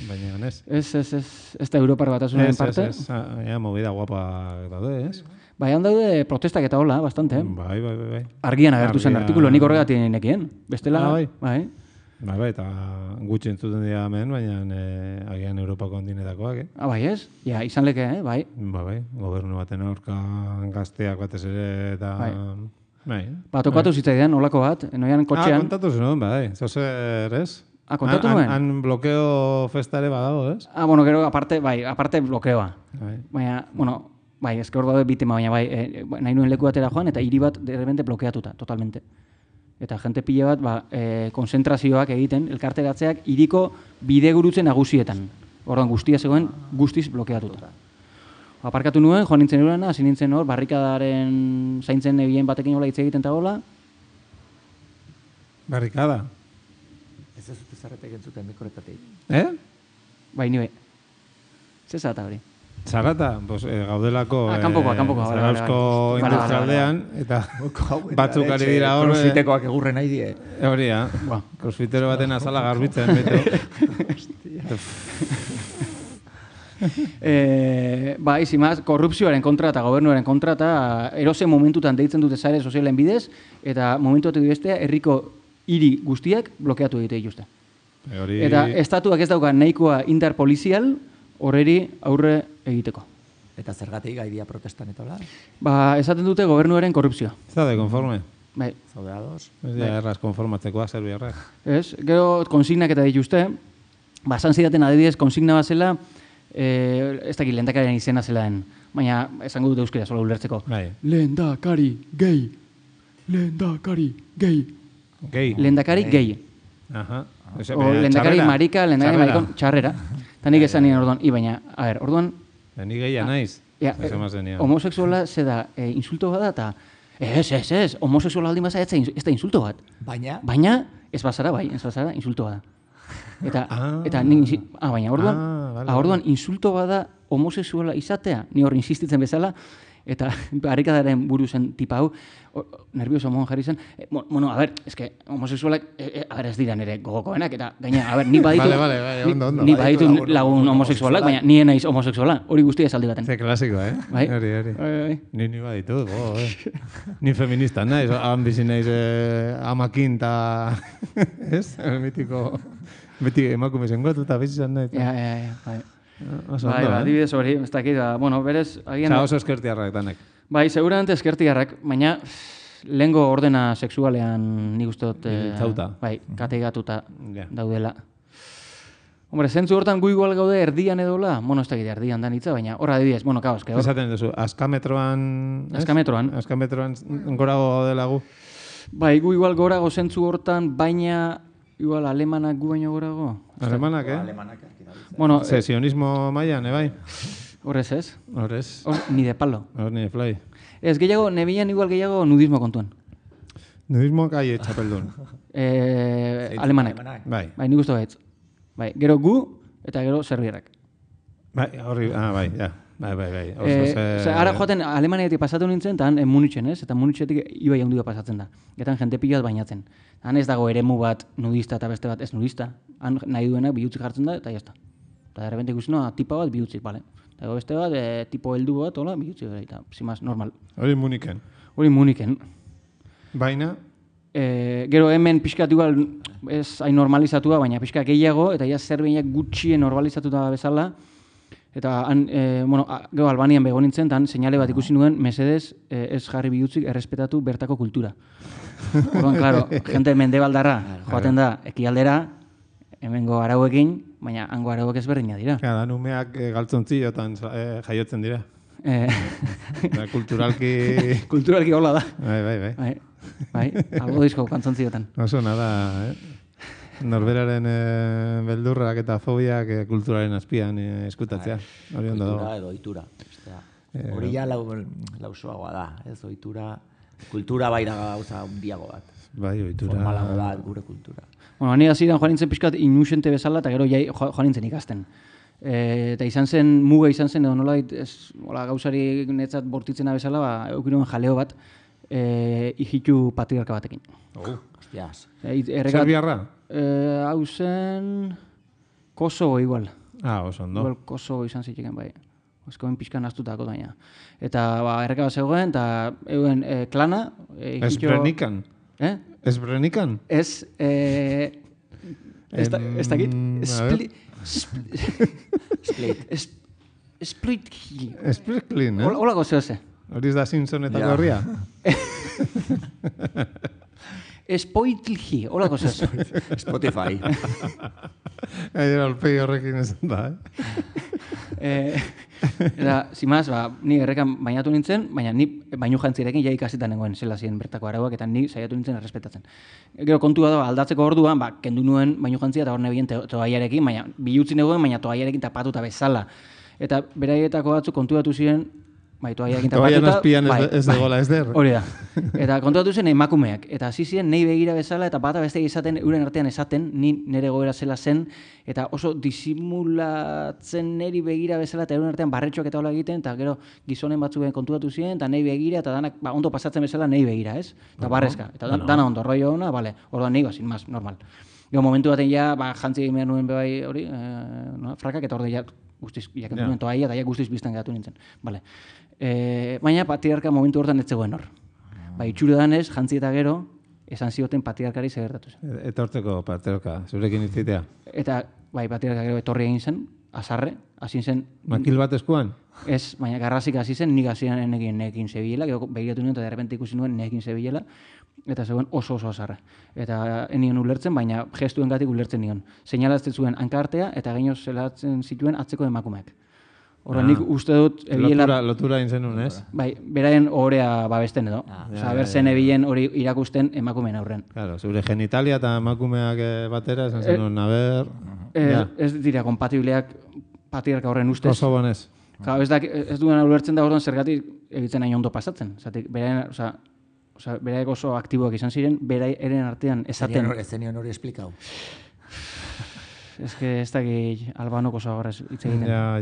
ganez. Ez da Europar Batasunaren parte? Ez, movida guapa daude, ez? Bai, handaude protestak eta hola, bastante. Bai. Argian agertu zen artikulo, nik horregatik nekien. Bestela, bai, eta gutxi entzuten dira hemen, baina agian Europako ondinetakoak, Bai, ez? Ja, izan leke, bai. Bai, gobernu baten aurka gazteak batez ere, eta... Bai. Tokatu zitzaidan, olako bat, noian kotxean. Kontatu zuen, bai, zozer, ez? Kontatu nuen? Han blokeo festare badago, ez? Gero, aparte blokeoa. Baina, bai, ezke hor daude bitema, baina nahi nuen leku batera joan, eta hiri bat de repente blokeatuta, totalmente. Eta jente pile bat, konzentrazioak egiten, elkarteratzeak, hiriko bidegurutze nagusietan. Orduan guztia zegoen, guztiz blokeatuta. Aparkatu nuen, joan nintzen eurena, hasi nintzen hor, barrikadaren zaintzen nebien batekin hola hitz egiten eta hola. Barrikada? Ez ez dut zarretek entzuten mikoretatik. Bai, nire. Ze zata hori? Zarata, gaudelako kanpokoa, Zarausko industrialdean, eta batzuk ari dira hor... Crossfitekoak egurren nahi die. Hori, crossfitero baten azala garbitzen, beto. Bai, zimaz, korrupzioaren kontra eta gobernuaren kontra eta erose momentutan deitzen dute sare sozialen bidez, eta momentu batek bestea herriko hiri guztiak blokeatu egite dituzte. Eta estatuak ez dauka nahikoa indar polizial horreri aurre egiteko. Eta zergatik gaidia protestan etola? Esaten dute gobernuaren korrupzioa. Zaude, konforme? Bai. Zaude ados? Ez dira erraz konformatzekoa, serbiarrak. Ez, gero konsignak eta dituzte, esan zidaten adibidez konsigna bat zela, ez dakit lehendakariaren izena zelaen, baina esango dute euskera sola ulertzeko. Lehendakari gay. Lehendakari gay. Lehendakari gay. O lehendakari marika, lehendakari marikon, txarrera. Eta nik esan nien orduan, baina, orduan... Ni geia naiz. Homosexuala ze da, insulto bat da, eta ez, homosexuala aldin baza ez da insulto bat. Baina, ez bazara insulto bat da. Eta baina orduan insulto bada homosexuala izatea, ni hor insistitzen bezala, eta barrikadaren buru zen tipa hau, nervioso mon jarri zen, eske homosexualak, ez dira nire gogokoenak, eta gaina, ni baditu lagun homosexualak, baina ni naiz homosexuala, hori guztia esaldi baten. Ze klasiko, Hori. Ni baditu, ni feminista naiz, bizi naiz amakin, eta, ez? Mitiko... Beti emakume zengotu eta bizizan nahi. Bai. Adibidez hori, ez dakit, berez... Oso eskertiarrak danek. Bai, seguramente eskertiarrak, baina lehengo ordena sexualean nik uste dut... Bai, kateigatuta daudela. Hombre, zentzu hortan gu igual gaude erdian edola, ez dakit erdian da nitza, baina horra adibidez, kaos. Esaten duzu, askametroan... Askametroan gorago gaudela gu. Bai, gu igual gorago zentzu hortan, baina... Igual, alemanak gu baino gorago. Alemanak, Alemanak. Sionismo maian, bai? Horrez ez? Horrez. Ni de palo. Ni de fly. Ez gehiago, nebilan igual gehiago nudismo kontuan. Nudismo kai txapeldun. Alemanak. Bai, nik uste gaitz. Bai, gero gu eta gero serbiarrak. Bai, horri, bai, ja. Bai. Ara joaten Alemaniatik pasatu nintzen, eta han Munitzen, ez? Eta Munitzetik ibai handia pasatzen da. Eta jente pila bat bainatzen. Han ez dago eremu bat nudista eta beste bat ez nudista. Han nahi duenak bihutzik jartzen da, eta jazta. Eta de repente ikusten, tipa bat bihutzik, bale. Eta beste bat, tipo heldu bat, hola, bihutzik, eta zimaz, normal. Hori Muniken. Baina? Gero hemen pixkat igual ez hain normalizatua, baina pixkat gehiago, eta ja Serbiak gutxien normalizatuta bezala, Eta gero Albanian bego nintzen, eta seinale bat ikusi nuen, mesedez ez jarri bihutzik errespetatu bertako kultura. Orduan, klaro, jente mendebaldarra joaten da ekialdera, hemengo arauekin, baina hango arauek ezberdina dira. Gara, numeak galtzontziotan jaiotzen dira. Kulturalki... Kulturalki hola da. Bai. Algo dizko kantzontziotan. Oso nada, Norberaren beldurrak eta fobiak kulturaren azpian eskutatzea. Hori ondo dago. Kultura edo ohitura. Hori ja lausoagoa da, ez ohitura. Kultura bai da gauza handiago bat. Bai, ohitura. Formalago bat gure kultura. Bueno, ni hasieran joan nintzen pixkat inusente bezala, eta gero joan nintzen ikasten. Eta muga izan zen, edo nolait, gauzari netzat bortitzena bezala, eukiroen jaleo bat, hijitu patriarka batekin. Hostias. Serbiarra? Hau zen... Kosovo igual. Oso ondo. Igual Kosovo izan zitzeken, bai. Ezkoen pixkan aztutako daina. Eta erreka bat zegoen, eta euen klana... Esbrenikan? Esbrenikan? Ez... Ez dakit... Splitki. Splitklin, Hola gozeoze. Horiz da Simpsonetako horria? Spoitlgi, hola gozeoze. Spotify. Alpegi horrekin ez da, Eta, zimaz, ni errekan bainatu nintzen, baina ni bainu jantzirekin ja ikasitan nengoen zela ziren bertako arauak, eta ni saiatu nintzen errespetatzen. Gero kontua da, aldatzeko orduan, kendu nuen bainu jantzia eta hor nebien toaiarekin, baina bilutzi negoen, baina toaiarekin tapatuta bezala. Eta beraietako batzuk kontuatu ziren, toaiarekin tapatuta... Toaian azpian ez dagoela ez der. Hori da. Eta kontuatu zen emakumeak. Eta hasi ziren nahi begira bezala, eta bata beste izaten, euren artean esaten, ni nire goera zela zen, eta oso disimulatzen niri begira bezala, eta euren artean barretxoak eta hola egiten, eta gero gizonen batzuen kontuatu ziren, eta nahi begira, eta danak ondo pasatzen bezala nahi begira, ez? Eta barrezka. Eta dana ondo, rollo ona, bale, orduan nigo, sin más, normal. Gero momentu baten ja, jantzi egin behar nuen bebai hori, frakak, eta orde ja, guztiz, jakentu nuen toaia, eta ja guztiz biztan geratu nintzen. Vale. Baina patriarka momentu hortan ez zegoen hor. Itxure danez, jantzi eta gero, esan zioten patriarkari segertatu zen. Eta hortzeko patriarka, zurekin itzitea? Eta, patriarka gero etorri egin zen, azarre, hasi zen... Makil bat eskuan? Ez, baina garrazik hasi zen, nik hasian nekin zebilela, gero begiratu nuen eta derrepente ikusi nuen nekin zebilela, eta zegoen oso azarra. Eta enion ulertzen, baina gestuengatik ulertzen nion. Seinalazten zuen hankartea eta gainoz zelatzen zituen atzeko emakumeak. Horren nik uste dut... Lotura egin zenun, ez? Bai, beraien ohorea babesten edo. Berzen ebilen hori irakusten emakumeen aurren. Claro, zure genitalia eta emakumeak batera, esan zenun, ez dira kompatibleak patriarka horren ustez. Kosovon ez. Ez duen ulertzen da horren zergatik egitzen hain ondo pasatzen. Beraik oso aktiboak izan ziren, beraien artean esaten... Ez zenion hori esplikau. Ez dakit albanoko zagarrez hitz egiten. Ja.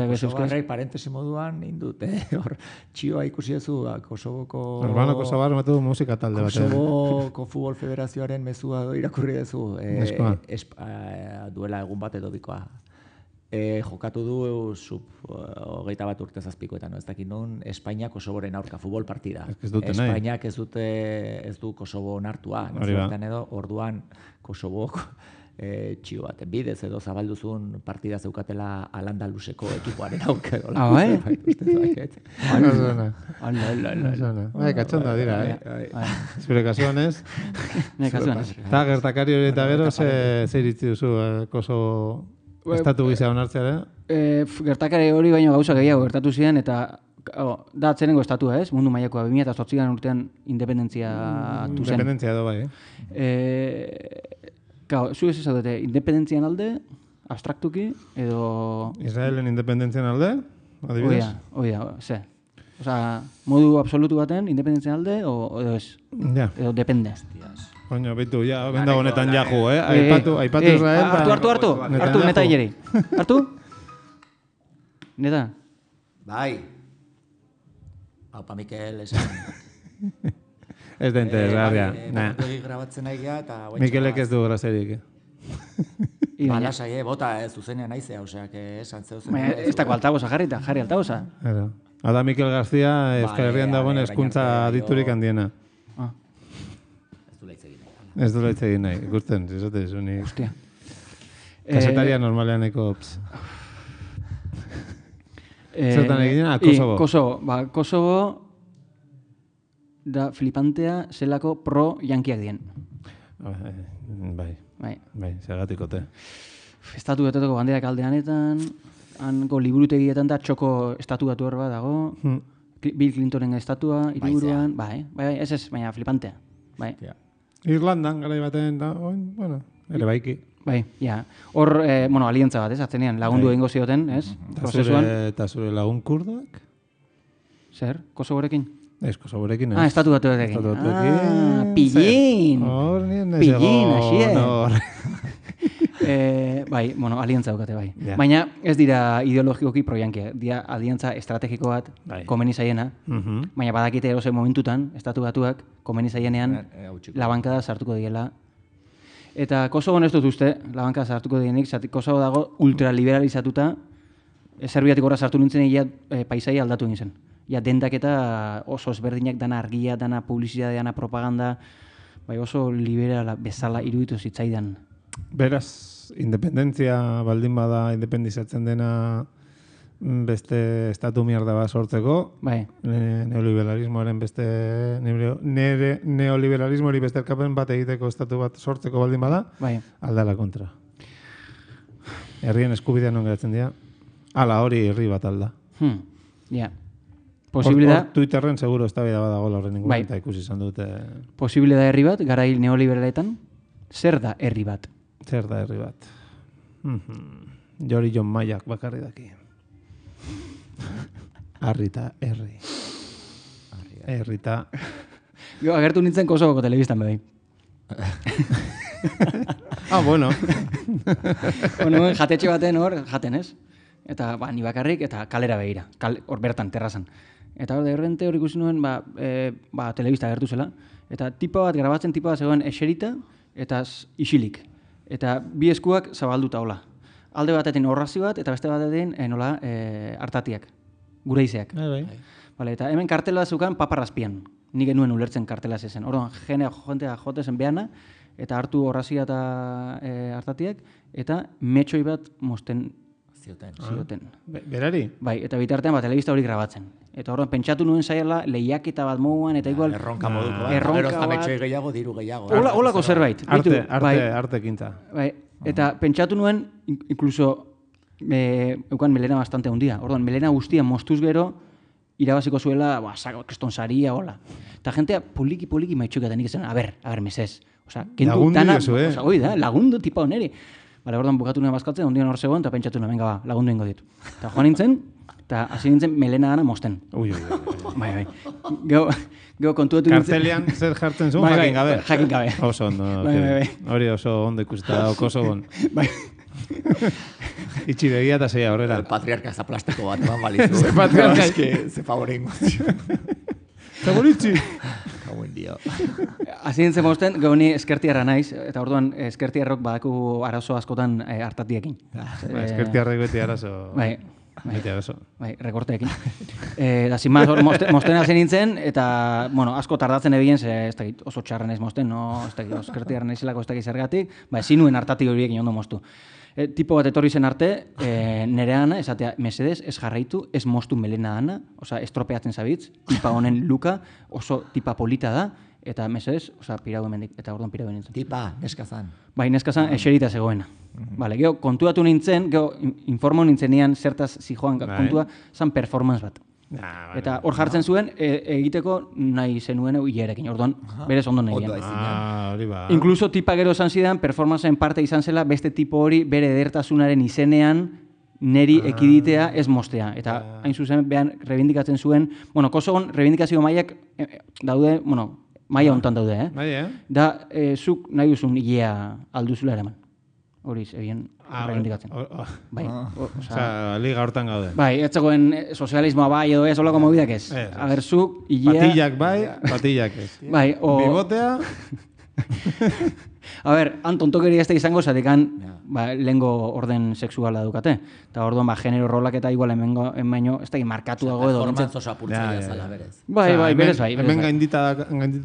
Kosovarrei parentesi moduan indut, hor txioa ikusi ezu Kosovoko... Albanoko zagar matu musika talde bat. Kosovoko Futbol Federazioaren mezua irakurri dezu. Duela egun bat edo bikoa. Jokatu du sub-21 urte zazpikoetan, ez dakit non, Espainiak Kosovoren aurka futbol partida. Espainiak ez du Kosovo onartua. Orduan Kosovok txio bat, bidez edo zabalduzun partida zeukatela Al-Andaluseko ekipoaren aurka edo. Bai? Bai, katxonda dira, Zure kasuan ez? Eta gertakari hori eta gero, zer iritzi duzu Kosovo estatu gizea onartzea, Gertakari hori baino gauza gehiago gertatu ziren, eta da atzerengo estatua, ez? Mundu mailakoa 2008 urtean independentzia atu zen. Independentzia edo bai, zu ez ezaudete, independentzian alde, abstraktuki, edo... Israelen independentzian alde, adibidez? Oida, ze. Modu absolutu baten, independentzian alde, edo ez? Edo depende. Koño, bitu, benda honetan jahu, Aipatu Israel... Hartu, neta hileri. Hartu? Neta? Bai. Aupa Mikel, esan... Ez da interesgarria. Grabatzen nahi geha eta... Mikelek ez du grazerik. Balasai, bota zuzenean naizea, oseak esan zeuzen. Ez dako altaboza jarri altaboza. Ada Mikel Garzia Euskal Herrian dagoen hezkuntza aditurik handiena. Ez du laitz egin nahi. Ikusten, zizote, zuni... Hostia. Kasetaria normalean eko... Zertan egiten, Kosovo. Kosovo da flipantea zelako pro-jankiak dien. Bai, zergatikote. Estatu betetoko banderak aldeanetan, hanko liburutegietan da txoko estatu batu bat dago, Bill Clintonen estatua, hiriburuan, bai, ez, baina flipantea. Bai. Irlandan, garai baten, da, bueno, ere baiki. Bai, ja. Hor, alientza bat, ez, atzenean, lagundu egingo zioten, ez, prozesuan. Eta zure lagun kurdoak? Zer, Kosovorekin? Ez, Kosovorekin, ez. Estatu batuekin. Pillin! Pillin, así bai, alientza daukate, bai. Yeah. Baina ez dira ideologikoki proiankia, dira alientza estrategiko bat komeni zaiena, baina badakite erozen momentutan, estatu batuak komeni zaienean labankada sartuko diela. Eta Kosovo ez dut uste, labankada sartuko dienik, Kosovo dago ultraliberalizatuta, Serbiatik horra sartu nintzen paisaia aldatu egin zen. Ja, dendak eta oso ezberdinak, dana argia, dana publizidade, dana propaganda, bai oso liberala bezala iruditu zitzaidan. Beraz, independentzia baldin bada independizatzen dena beste estatu mierda bat sortzeko, neoliberalismoaren beste neoliberalismori beste erkapen bat egiteko estatu bat sortzeko baldin bada, aldala kontra. Herrien eskubidean non geratzen dira, ala hori herri bat alda. Ja. Posibilidad... Twitterren seguro eztabaida badago horren inguruan eta ikusi izan dute... Posibilidad herri bat, garai neoliberaletan, zer da herri bat? Zer da herri bat? Jori Jon Maiak bakarri daki. Arrita herri. Herrita... Agertu nintzen Kosovoko telebistan bedai. Bueno. Jatetxe baten hor, jaten ez? Eta ni bakarrik, eta kalera begira. Hor bertan, terrazan. Eta hor, derrente hor ikusi nuen, telebista agertu zela. Eta grabatzen tipa bat zegoen eserita, eta isilik. Eta bi eskuak zabalduta hola. Alde batetin horrazi bat, eta beste batetin hartatiak. Gureizeak. Eta hemen kartela zukan paparrazpian. Nik genuen ulertzen kartela zezen. Orduan, jentea jotezen behana, eta hartu horrazia eta hartatiak, eta metxoi bat mosten zioten. Berari? Bai, eta bitartean telebista hori grabatzen. Eta horren pentsatu nuen zaiela lehiaketa bat moduan, eta igual... Erronka moduko bat. Gero zametxoi gehiago, diru gehiago. Holako zerbait. Arte kinta. Bai, eta pentsatu nuen, inkluso, eukan melena bastante hundia. Orduan, melena guztia mostuz gero, irabaziko zuela, keston saria, hola. Eta jentea poliki maitxuketan nik ezen, a ber, mesez. Lagundu jozu, Hoi da, lagundu tipa oneri. Orduan bukatu nuen bazkaltzen, ondian hor zegoen, eta pentsatu nuen, venga, lagundu ingo ditu. Eta joan nintzen, eta hasi nintzen melena gana mosten. Bai. Geo kontuetu nintzen. Kartelian zer jartzen zuen, jakin gabe. Jakin gabe. Oso ondo. Hori oso ondo ikusita dago Kosovon. Bai. Itxi begia eta zeia horrela. El patriarka zaplasteko bat, eman balizu. Ze patriarka. Ze favorengo. Zaboritzi. Buen dia. Hasi nintzen mosten, gauni eskertiarra naiz, eta orduan eskertiarrok badaku arazo askotan hartatiekin. Eskertiarrek beti arazo. Bai, rekorteekin. Eta sin más, mosten hasi nintzen, eta, asko tardatzen ebien, ez dakit oso txarra naiz mosten, ez dakit eskertiarra naizelako ez dakit zergatik, zinuen hartati horiekin ondo mostu. Tipo bat etorri zen arte, nere ana, esatea, mesedez, ez jarraitu, ez mostu melena ana, estropeatzen zabitz, tipa honen luka, oso tipa polita da, eta mesedez, pirau emendik, eta orduan pirau nintzen. Tipa, neskazan. Bai, neskazan, eserita zegoena. Gero, kontuatu nintzen, informo nintzen nian zertaz zijoan kontua, zan performance bat. Eta hor jartzen zuen, egiteko nahi zenuen hilerekin, orduan, berez ondo nahian. Inkluso tipa gero esan zidan, performanceen parte izan zela, beste tipo hori bere edertasunaren izenean neri ekiditea ez mostea. Eta hain zuzen, behan, rebindikatzen zuen, Kosovon rebindikazio mailak daude, maila hontan daude, da, zuk nahi duzun hilea alduzula eraman. Hori, ebien, rebindikatzen. Liga hortan gaude. Bai, ez zegoen sozialismoa bai edo ez, holako mobidak ez. Ager, zuk, hilea... Patillak bai, patillak ez. Bai, Bigotea... A ber, han tontokeria ez da izango, zatekan lehengo orden sexuala dukate. Eta orduan, genero rolak eta igual hemen ez da markatu dago edo. Performantzo sapurtzaia zala berez. Bai, berez bai. Hemen gaindituta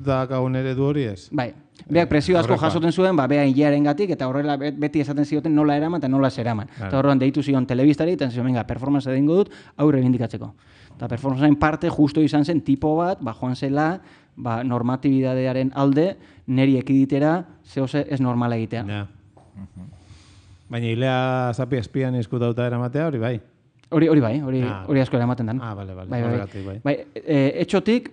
dakagun ere du hori ez? Bai. Beak presio asko jasoten zuen, bea hilearen gatik, eta horrela beti esaten zioten nola eraman eta nola zeraman. Eta orduan deitu zion telebistari, eta zion, venga, performance egingo dut, hau rebindikatzeko. Eta performancearen parte justo izan zen tipo bat, joan zela, normatibidadearen alde, neri ekiditera, zehose ez normala egitea. Ja. Baina hilea zapi espian izkutauta eramatea, hori bai? Hori bai, hori asko eramaten den. Bale, bai. Etxotik,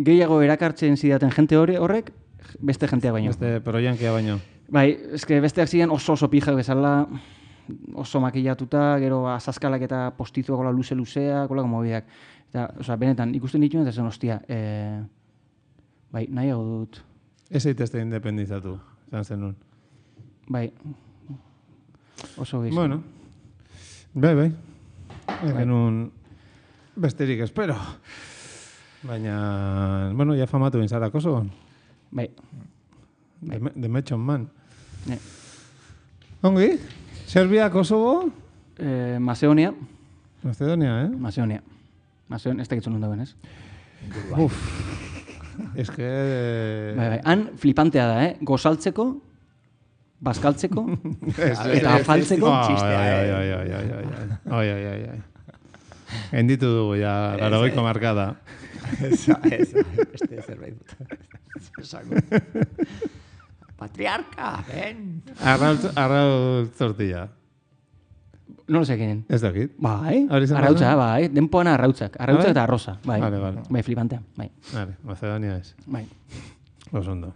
gehiago erakartzen zidaten jente horrek, beste jentea baino. Beste proiankia baino. Bai, eske besteak ziren oso pijak bezala, oso makillatuta, gero azazkalak eta postizuak gola luze-luzeak, gola mobideak. Eta, benetan, ikusten dituen, eta zen, ostia, bai, nahiago dut. Ez eitezte independizatu, zan zenun. Bai, oso gizu. Bueno, bai. Genuen besterik espero. Baina, bueno, ja famatu bintzara Kosovo. Bai. The Mechon Man. Ongi? Serbia, Kosovo? Macedonia. Macedonia, Macedonia, ez da gitzun dagoen, ez? Uf. Ez que... Bai. Han flipantea da, gozaltzeko, bazkaltzeko, eta afaltzeko. Ai. Enditu dugu, ja, 80ko markada. Esa, beste zerbait dut. Patriarca, ven. Arraul tortilla. No lo sé quién. Ez dakit. Bai, arrautza, bai. Denpoan arrautzak. Arrautzak eta arroza, bai. Vale. Bai, flipantea, bai. Vale, Macedonia ez. Bai. Osondo.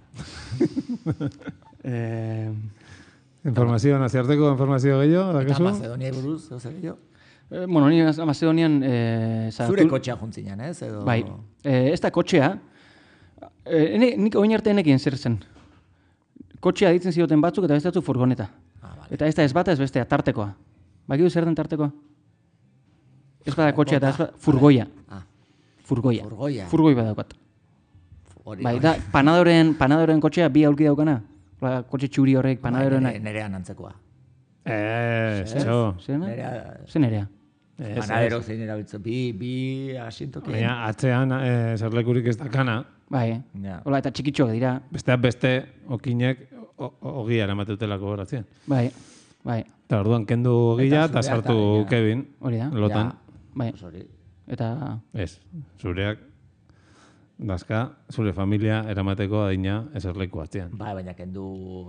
Informazio, naziarteko informazio gehiago, Eta Macedonia buruz, oza gehiago? Bueno, ni Macedonian... Zure kotxea juntzinean, ez? Bai. Ez da kotxea, nik oin arte enekien zer zen. Kotxea ditzen zioten batzuk eta beste furgoneta. Eta ez da ez bata ez bestea, tartekoa. Bakidu zer den tartekoa? Ez bada kotxea eta ez bada furgoia. Furgoia. Furgoi badaukat. Bai, da, panadoren kotxea bi aulki daukana. Kotxe txuri horrek panadoren... Nerean antzekoa. Zer nerea? Panadero zein erabiltzen, bi asintoki. Baina, atzean zerlekurik ez dakana. Bai, hola, eta txikitxoak dira. Besteak beste, okinek ogia eramatetelako horatzen. Bai. Eta orduan kendu ogia eta sartu Kevin. Hori da. Lotan. Bai. Eta... Ez, zureak dazka, zure familia eramateko adina eserleku atzean. Bai, baina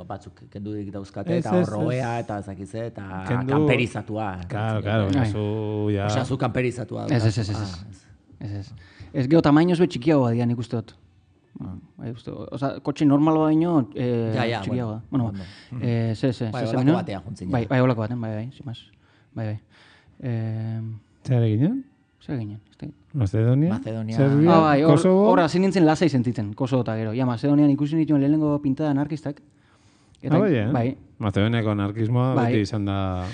batzuk kendu dik dauzkate, eta horroea, eta ezakize, eta kamperizatua. Claro, zu kamperizatua. Ez geho tamainoz be txikiagoa dian ikuste dut. Osa, kotxe normalo baino txikiagoa. Bueno, bai, olako batean juntzin. Bai, olako batean, bai, zimaz. Bai. Zer eginen? Zer eginen? Macedonia, Serbia, Kosovo... Horra, zin nintzen lasai sentitzen, Kosovo eta gero. Macedonian ikusi nituen lehenengo pintada anarkistak. Bai. Macedoniako anarkismoa beti izan da...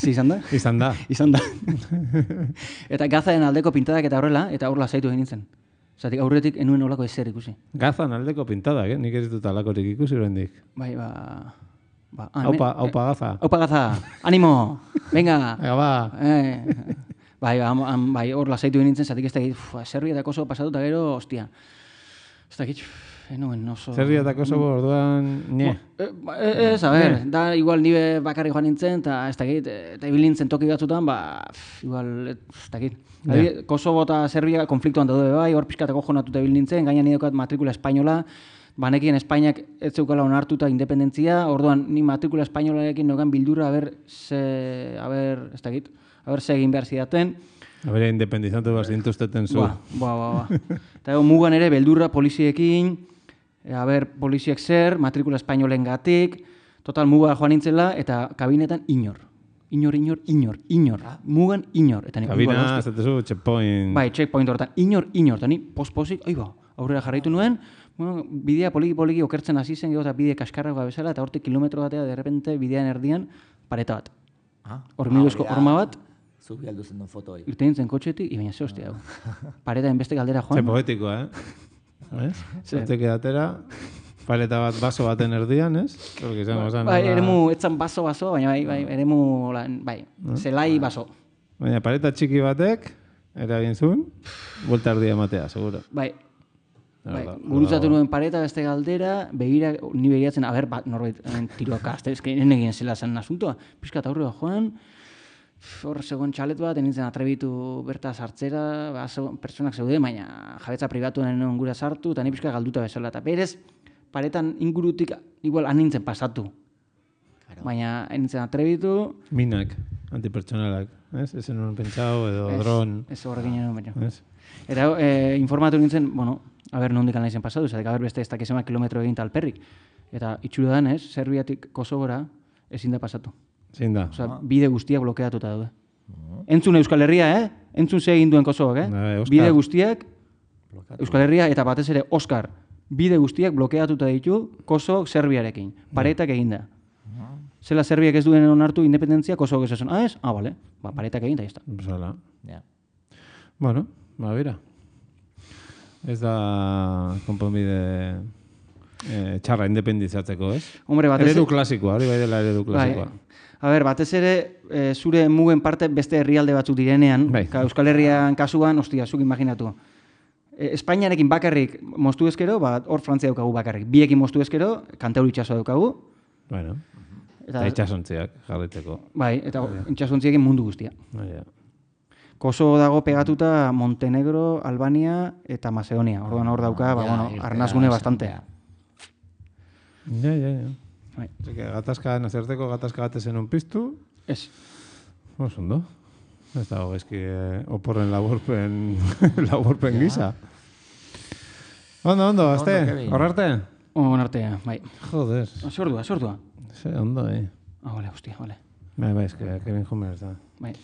Izan da? Izan da. Eta Gazaen aldeko pintadak eta horrela, eta hor lasaitu egin nintzen. Zatik aurretik enuen olako ezer ikusi. Gazan aldeko pintadak, nik ez ditut alakorik ikusi horrendik. Bai, Aupa Gaza. Aupa Gaza, animo, venga. Ega ba. Bai, hor lasaitu egin nintzen, zatik ez dakit, Serbia eta Kosovo pasatuta gero, ostia. Ez dakit, enuen oso... Serbia eta Kosovo orduan, nie. Ez, a ber, da igual nire bakarri joan nintzen, eta ez dakit, eta ibil nintzen toki batzutan, igual, ez dakit. Kosovo eta Serbia konfliktuan daude bai, hor pixkatako jonatuta ibil nintzen, gaina nire daukat matrikula espainola, banekien Espainiak ez zeukala onartuta independentzia, orduan ni matrikula espainolarekin nogan bildurra, ez dakit, ze egin behar zidaten. Independizantu behar zintuzteten zu. Eta mugan ere, beldurra poliziekin, poliziek zer, matrikula espainolen gatik, total muga joan nintzela, eta kabinetan inor. Inor. Mugan inor. Kabina, zatezu, checkpoint. Bai, checkpoint horretan. Inor. Eta ni pospozik, aurrera jarraitu nuen, bidea poliki okertzen hasi zen, eta bide kaskarragoa bezala, eta hortik kilometro batea, derrepente, bidean erdian, pareta bat. Hormiguzko horma bat, Zubi aldu zen duen foto hori. irten nintzen kotxetik, baina ze hostia. Pareta enbeste galdera joan. Ze poetikoa, Zatek edatera, paleta bat baso baten erdian, ez? Bai, eremu, etzan baso, baina bai, eremu, bai, zelai baso. Baina paleta txiki batek, eragin zuen, buelta erdia ematea, seguro. Bai, gurutzatu nuen pareta beste galdera, ni begiratzen, norbait tiroak azte, egin zela zen asuntoa, pixkat aurrera joan, hor segon txalet bat, nintzen atrebitu berta sartzera, pertsonak zeuden, baina jabetza pribatuen gura sartu, eta ni pixka galduta bezala, eta berez, paretan ingurutik igual nintzen pasatu. Baina nintzen atrebitu... Minak, antipertsonalak, ez? Ezen nuen pentsau, edo dron... Ez horrekin nuen baina. Eta informatu nintzen, bueno, nondik nahi zen pasatu, zatek beste ez dakizema kilometro egin talperrik. Eta itxuru dan, ez? Serbiatik Kosovora ezin da pasatu. Zein da? Osa, bide guztiak blokeatuta daude. Entzun Euskal Herria, Entzun ze egin duen Kosovak, Bide guztiak Euskal Herria eta batez ere Oskar. Bide guztiak blokeatuta ditu Kosovok Serbiarekin. Paretak eginda. Zela Serbiak ez duen onartu independentzia, Kosovok ez esan. Ez? Bale. Paretak egin da, ez da. Zala. Bueno, bera. Ez da konponbide txarra independizatzeko, ez? Hombre, eredu klasikoa, hori bai dela eredu klasikoa. Batez ere, zure mugen parte beste herrialde batzuk direnean, Euskal Herrian kasuan, zuk imaginatu. Espainiarekin bakarrik moztu ezkero, hor Frantzia daukagu bakarrik. Biekin moztu ezkero, Kantauri itxasoa daukagu. Bueno, eta itxasontziak jarriteko. Bai, eta itxasontziekin mundu guztia. Kosovo dago pegatuta Montenegro, Albania eta Macedonia. Orduan hor dauka, arnazgune bastante. Ja. Gatazka, nazerteko gatazka gatezen un piztu. Ez. Ondo. Ez dago gezki oporren laburpen gisa. Ondo, azte, horrarte? Horrarte, bai. Joder. Sordua. Ze, ondo, Vale, hostia, vale. Bai, ez que Kevin Homer ez da. Bai.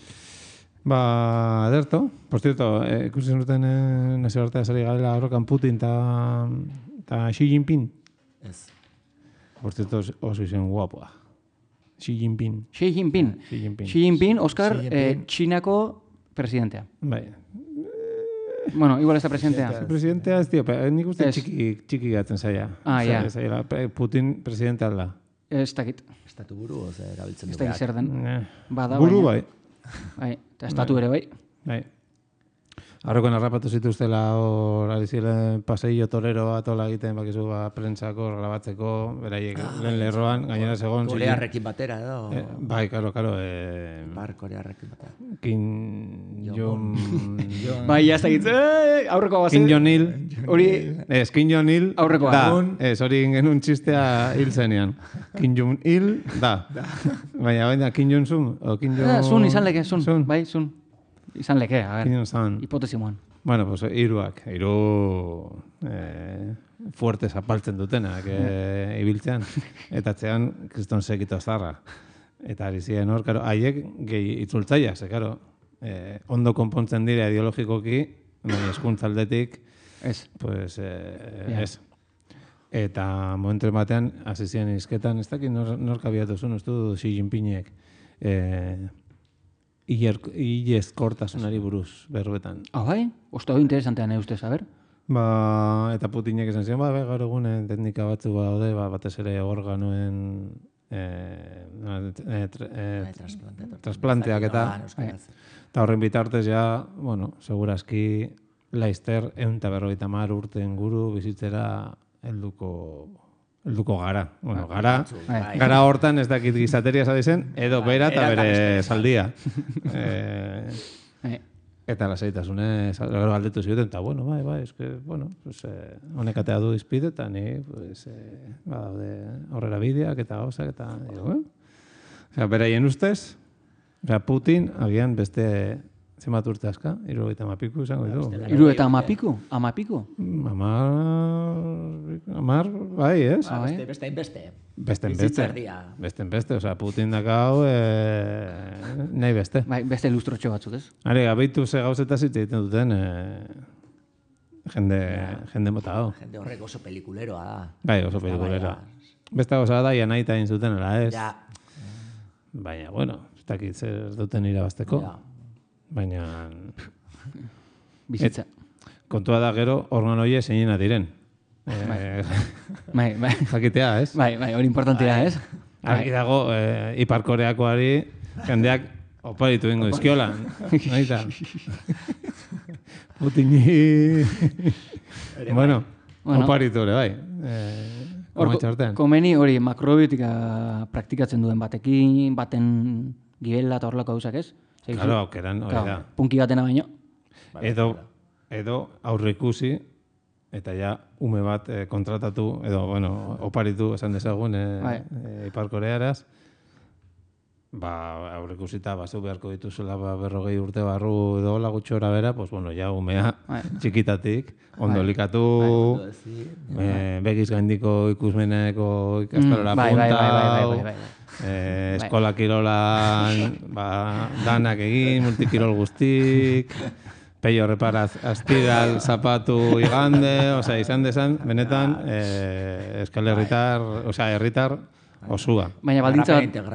Ederto. Por cierto, ikusi zenuten nazio artea zari garela horrekan Putin eta Xi Jinping. Ez. Por cierto, oso izen guapoa. Xi Jinping. Xi Jinping, Oskar, Txinako presidentea. Bai. Bueno, igual ez da presidentea. Presidentea ez, tío, nik uste txiki gatzen zaila. Ja. Putin presidente alda. Ez dakit. Estatu buru, erabiltzen du. Ez dakit zer den. Buru bai. Bai, eta estatu ere bai. Bai. Arrokoen harrapatu zituztela hor ari ziren paseillo torero bat ola egiten, bakizu prentsako, grabatzeko, beraiek lehen lerroan, gainera segon. Korearrekin batera edo? Bai, karo. Korearrekin batera. Kim Jong... Bai, ez dakit, aurreko bazen. Kim Jong-il. Hori... Kim Jong-il aurreko da. Hori genuen txistea hil zenean. Kim Jong-il da. Baina, Kim Jong-sun? Sun, izan leke, sun. Bai, sun. Izan leke, a ver, hipotesi moan. Bueno, pues hiru fuertes apaltzen dutenak ibiltzean. Eta txean, kriston sekito zarra. Eta ari ziren hor, haiek gehi itzultzaiak, karo, ondo konpontzen dira ideologikoki, baina eskuntza aldetik, pues, ez. Eta momentu batean, hasi ziren izketan, ez dakit nor kabiatu zuen, ez du Xi Jinpingek, ilezkortasunari buruz, berbetan. Bai? Osta hori interesantean ustez, a ber? Eta Putinek esan ziren, gaur egunen teknika batzu daude, batez ere organoen trasplanteak eta horren bitartez ja, bueno, segurazki laizter 150 urte inguru bizitzera helduko gara. Bueno, gara hortan ez dakit gizateria zadizen, edo bera eta bere zaldia. Eta lasaitasune galdetu zioten, eta bueno, bai, honek atea du izpide, eta ni, badaude horrela bideak eta gauzak, eta, beraien ustez, Putin, agian beste zenbat urte aska, 70 izango ditu. 70? Amapiku? Amar, bai, ez? Beste. Beste, osea, Putin dakau nahi beste. Bai, beste ilustrotxo batzuk, ez? Are, gabeitu ze gauzetaz hitz egiten duten jende mota hau. Jende horrek oso pelikuleroa da. Bai, oso pelikuleroa. Beste gauza da, naita egin zuten, ez? Baina, bueno, ez dakit zer duten irabazteko. Baina... Bizitza. kontua da gero organo horiek zeinena diren. Bai. Jakitea, ez? Bai, hori importantea, ez? Argi dago, Ipar Koreakoari jendeak oparitu ingo izkiola. Naita. Putini... Bueno, oparitu ere, bai. Komeni hori makrobiotika praktikatzen duen batekin, baten gibela eta horrelako gauzak, ez? Claro, aukeran, hori da. Punki batena baino. Edo aurreikusi, eta ja ume bat kontratatu, edo, bueno, oparitu esan dezagun Ipar Korearaz, aurreikusita bazu beharko dituzela 40 urte barru edo hola gutxora bera, pues bueno, ja umea txikitatik, ondo likatu, begiz gaindiko ikusmeneko ikastolara punta, eskola kirolan danak egin, multikirol guztik, peio reparaz astiral, zapatu igande, izan desan, benetan, Euskal Herritar osua. Baina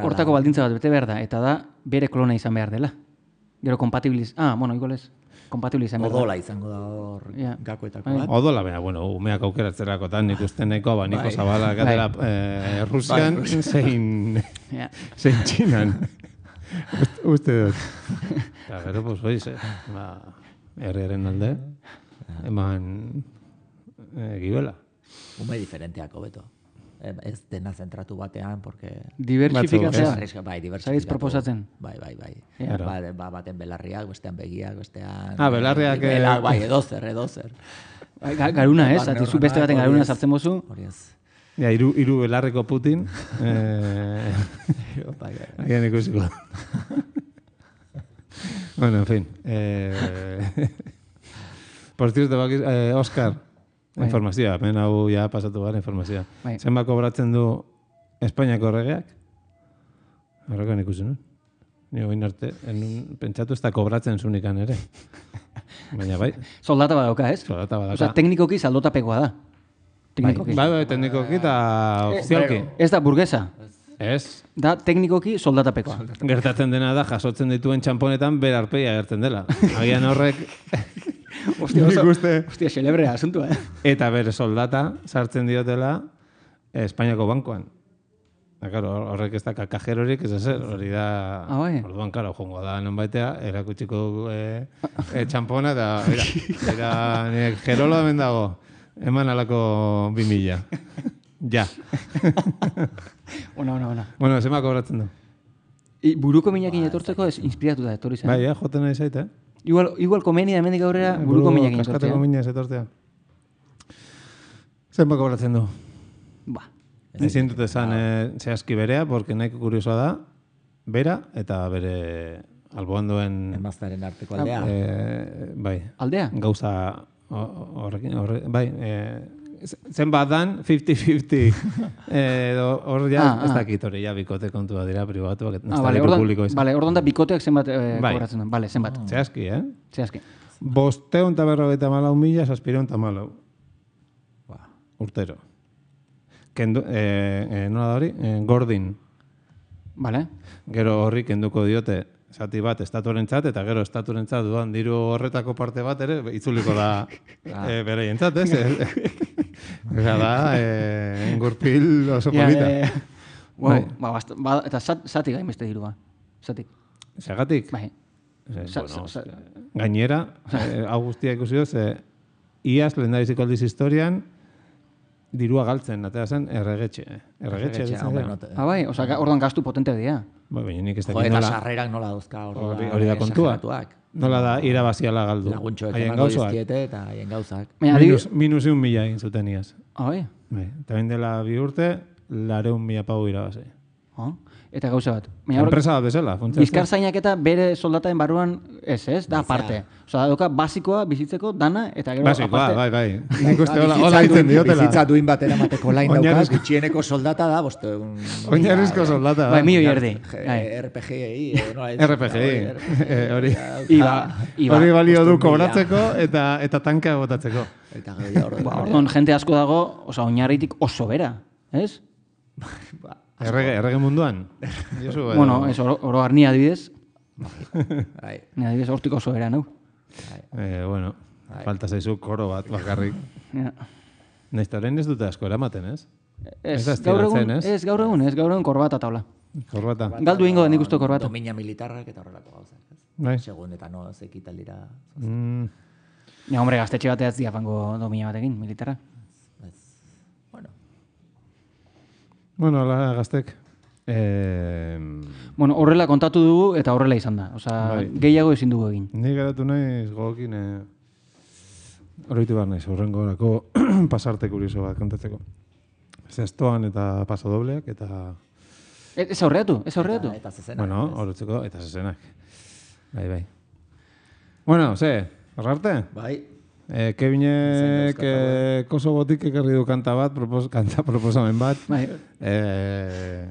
hortako baldintza bat bete behar da, eta da bere klona izan behar dela. Gero kompatibiliz... igual ez. Kompatibiliz izan behar da. Odola izango da hor gakoetako bat. Odola, baina, umeak aukeratzerakotan nik uste nahiko Niko Zabala gatera Rusian zein Txinan. Uste dut. Eta gero, pues, oiz, herriaren alde, eman gibela. Ume diferenteako beto. Ez dena zentratu batean, porque... Diversifikatzea. Bai, diversifikatu. Zaiz proposatzen. Bai. Baten belarriak, bestean begiak, bestean... Belarriak... Bai, edozer. Garuna, ez? Atizu beste baten garuna sartzen mozu. Hori ez. Ja, iru belarreko Putin. Agian ikusiko. Bueno, en fin. Por cierto, Óscar, informazioa, hemen hau ja pasatu gara informazioa. Zenba kobratzen du Espainiako erregeak? Horrekan ikusi nuen. Ni oin arte, pentsatu ez da kobratzen zunikan ere. Baina bai. Soldata badauka, ez? Soldata badauka. Osa, teknikoki saldotapekoa da. Bai, teknikoki eta ofizialki. Ez da burgesa. Ez. Da teknikoki soldatapekoa. Gertatzen dena da, jasotzen dituen txamponetan bere arpeia agertzen dela. Agian horrek... Hostia, celebrea asuntua, Eta bere soldata sartzen diotela Espainiako bankoan. Horrek ez da kakajerorik, ez ezer, hori da... Orduan, karo, jongo da nonbaitea, erakutsiko txampona, eta nire jerolo hemen dago, eman alako 2000. Ja. Bueno, zema kobratzen du. Buruko minakin etortzeko ez inspiratu da etorri zen. Bai, joten nahi zaite, Igual komenia hemendik aurrera buruko minakin etortzea. Kaskateko mina ez etortzea. Zenba kobratzen du? Ezin dut esan zehazki berea, porque nahiko kuriosoa da, bera eta bere alboan duen... Emaztaren arteko aldea. Bai. Aldea? Gauza horrekin, bai. Zenbat dan, 50-50. Hor ja, ez dakit hori, ja bikote kontua dira pribatuak, ez da publiko izan. Bale, orduan da bikoteak zenbat kobratzen duen. Bale, zenbat. Zehazki, Zehazki. 554.000 654.000. Urtero. Nola da hori? Gordin. Bale. Gero horri kenduko diote zati bat estatuarentzat, eta gero estatuarentzat duan diru horretako parte bat ere, itzuliko da bereientzat, ez? Eza da, engurpil oso polita. Eta zatik gain beste dirua. Zatik. Zagatik? Bai. Gainera, hau guztia ikusi doz, iaz lehendabiziko aldiz historian, dirua galtzen, atea zen, erregetxe. Bai, orduan gastu potente dira. Baina nik ez dakit nola... Eta sarrerak nola dauzka hori da kontua. Nola da irabaziala galdu. Laguntxoek emango dizkiete eta haien gauzak. Minus 1.000 egin zuten iaz. Bai? Eta bain dela 2 urte, 200.000 pau irabazi. Eta gauza bat. Enpresa bat bezala. Bizkarzainak eta bere soldataen barruan ez, da aparte. Osa, doka basikoa bizitzeko dana eta gero aparte. Basikoa, bai. Nik uste hola ditzen diotela. Bizitza duin batera mateko lain daukaz, gutxieneko soldata da, boste... Oinarrizko soldata da. Bai, milio erdi. RPGI, hori. Hori balio du kobratzeko eta tankea botatzeko. Orduan, jente asko dago, osa, oinarritik oso bera, ez? Errege munduan? Bueno, oro arni adibidez. Ni adibidez hortik oso era, nau? Bueno, Falta zaizu koro bat bakarrik. Naizta orain ez dute asko eramaten, ez? Gaur egun korbata taula. Korbata. Galdu ingo da nik uste korbata. Domina militarrak eta horrelako gauzak. Bai. Segun eta no zekitaldira. Ja, hombre, gaztetxe bateaz diafango domina batekin, militarra. Bueno, ala gaztek. Bueno, horrela kontatu dugu eta horrela izan da. Osa, gehiago ezin dugu egin. Ni geratu naiz gogokin oroitu behar naiz, horrengo horako pasarte kurioso bat kontatzeko. Zestoan eta pasadobleak eta... Ez aurreatu? Eta zezenak. Bueno, horretzeko eta zezenak. Bai. Bueno, horrarte? Bai. Kevinek Kosobotik ekarri du kanta proposamen bat. Bai.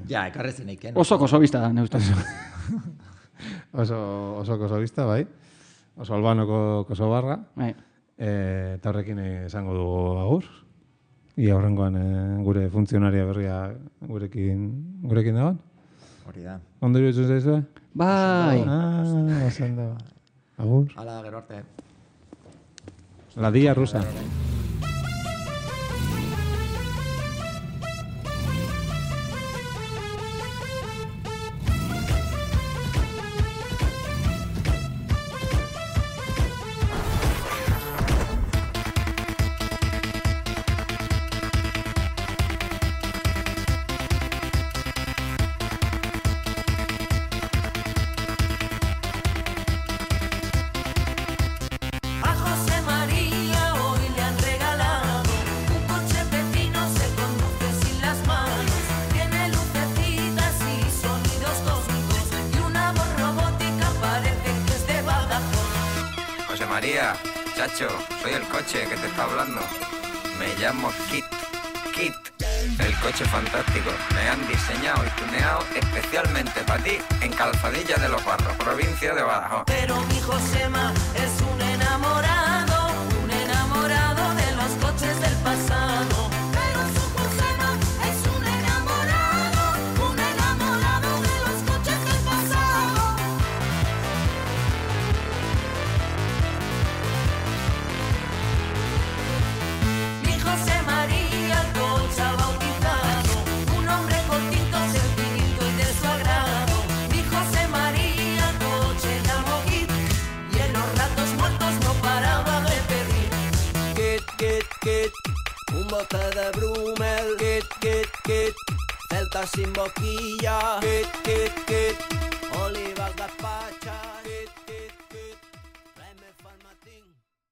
Ja, ekarri zeneiken. Oso kosobista da, neustaz. Oso kosobista, bai. Oso albanoko kosobarra. Bai. Eta horrekin esango dugu agur. Ia horrengoan gure funtzionaria berria gurekin dagoen. Hori da. Ondo iruditzen zaizue? Bai. Osan da. Agur. Hala, gero arte. La Día Rusa. Chacho, soy el coche que te está hablando. Me llamo Kit. El coche fantástico. Me han diseñado y tuneado especialmente para ti en Calzadilla de los Barros, provincia de Badajoz. Pero mi Josema es un enamorado de los coches del pasado. Pero su Josema es un enamorado de los coches del pasado. Mi José María Concha bautizado, un hombre cortito, sencillito y de su agrado. Mi José María Coche llamó Kit y en los ratos muertos no paraba de pedir. Kit, un bote de Brumel. Kit, celta sin boquilla. Kit,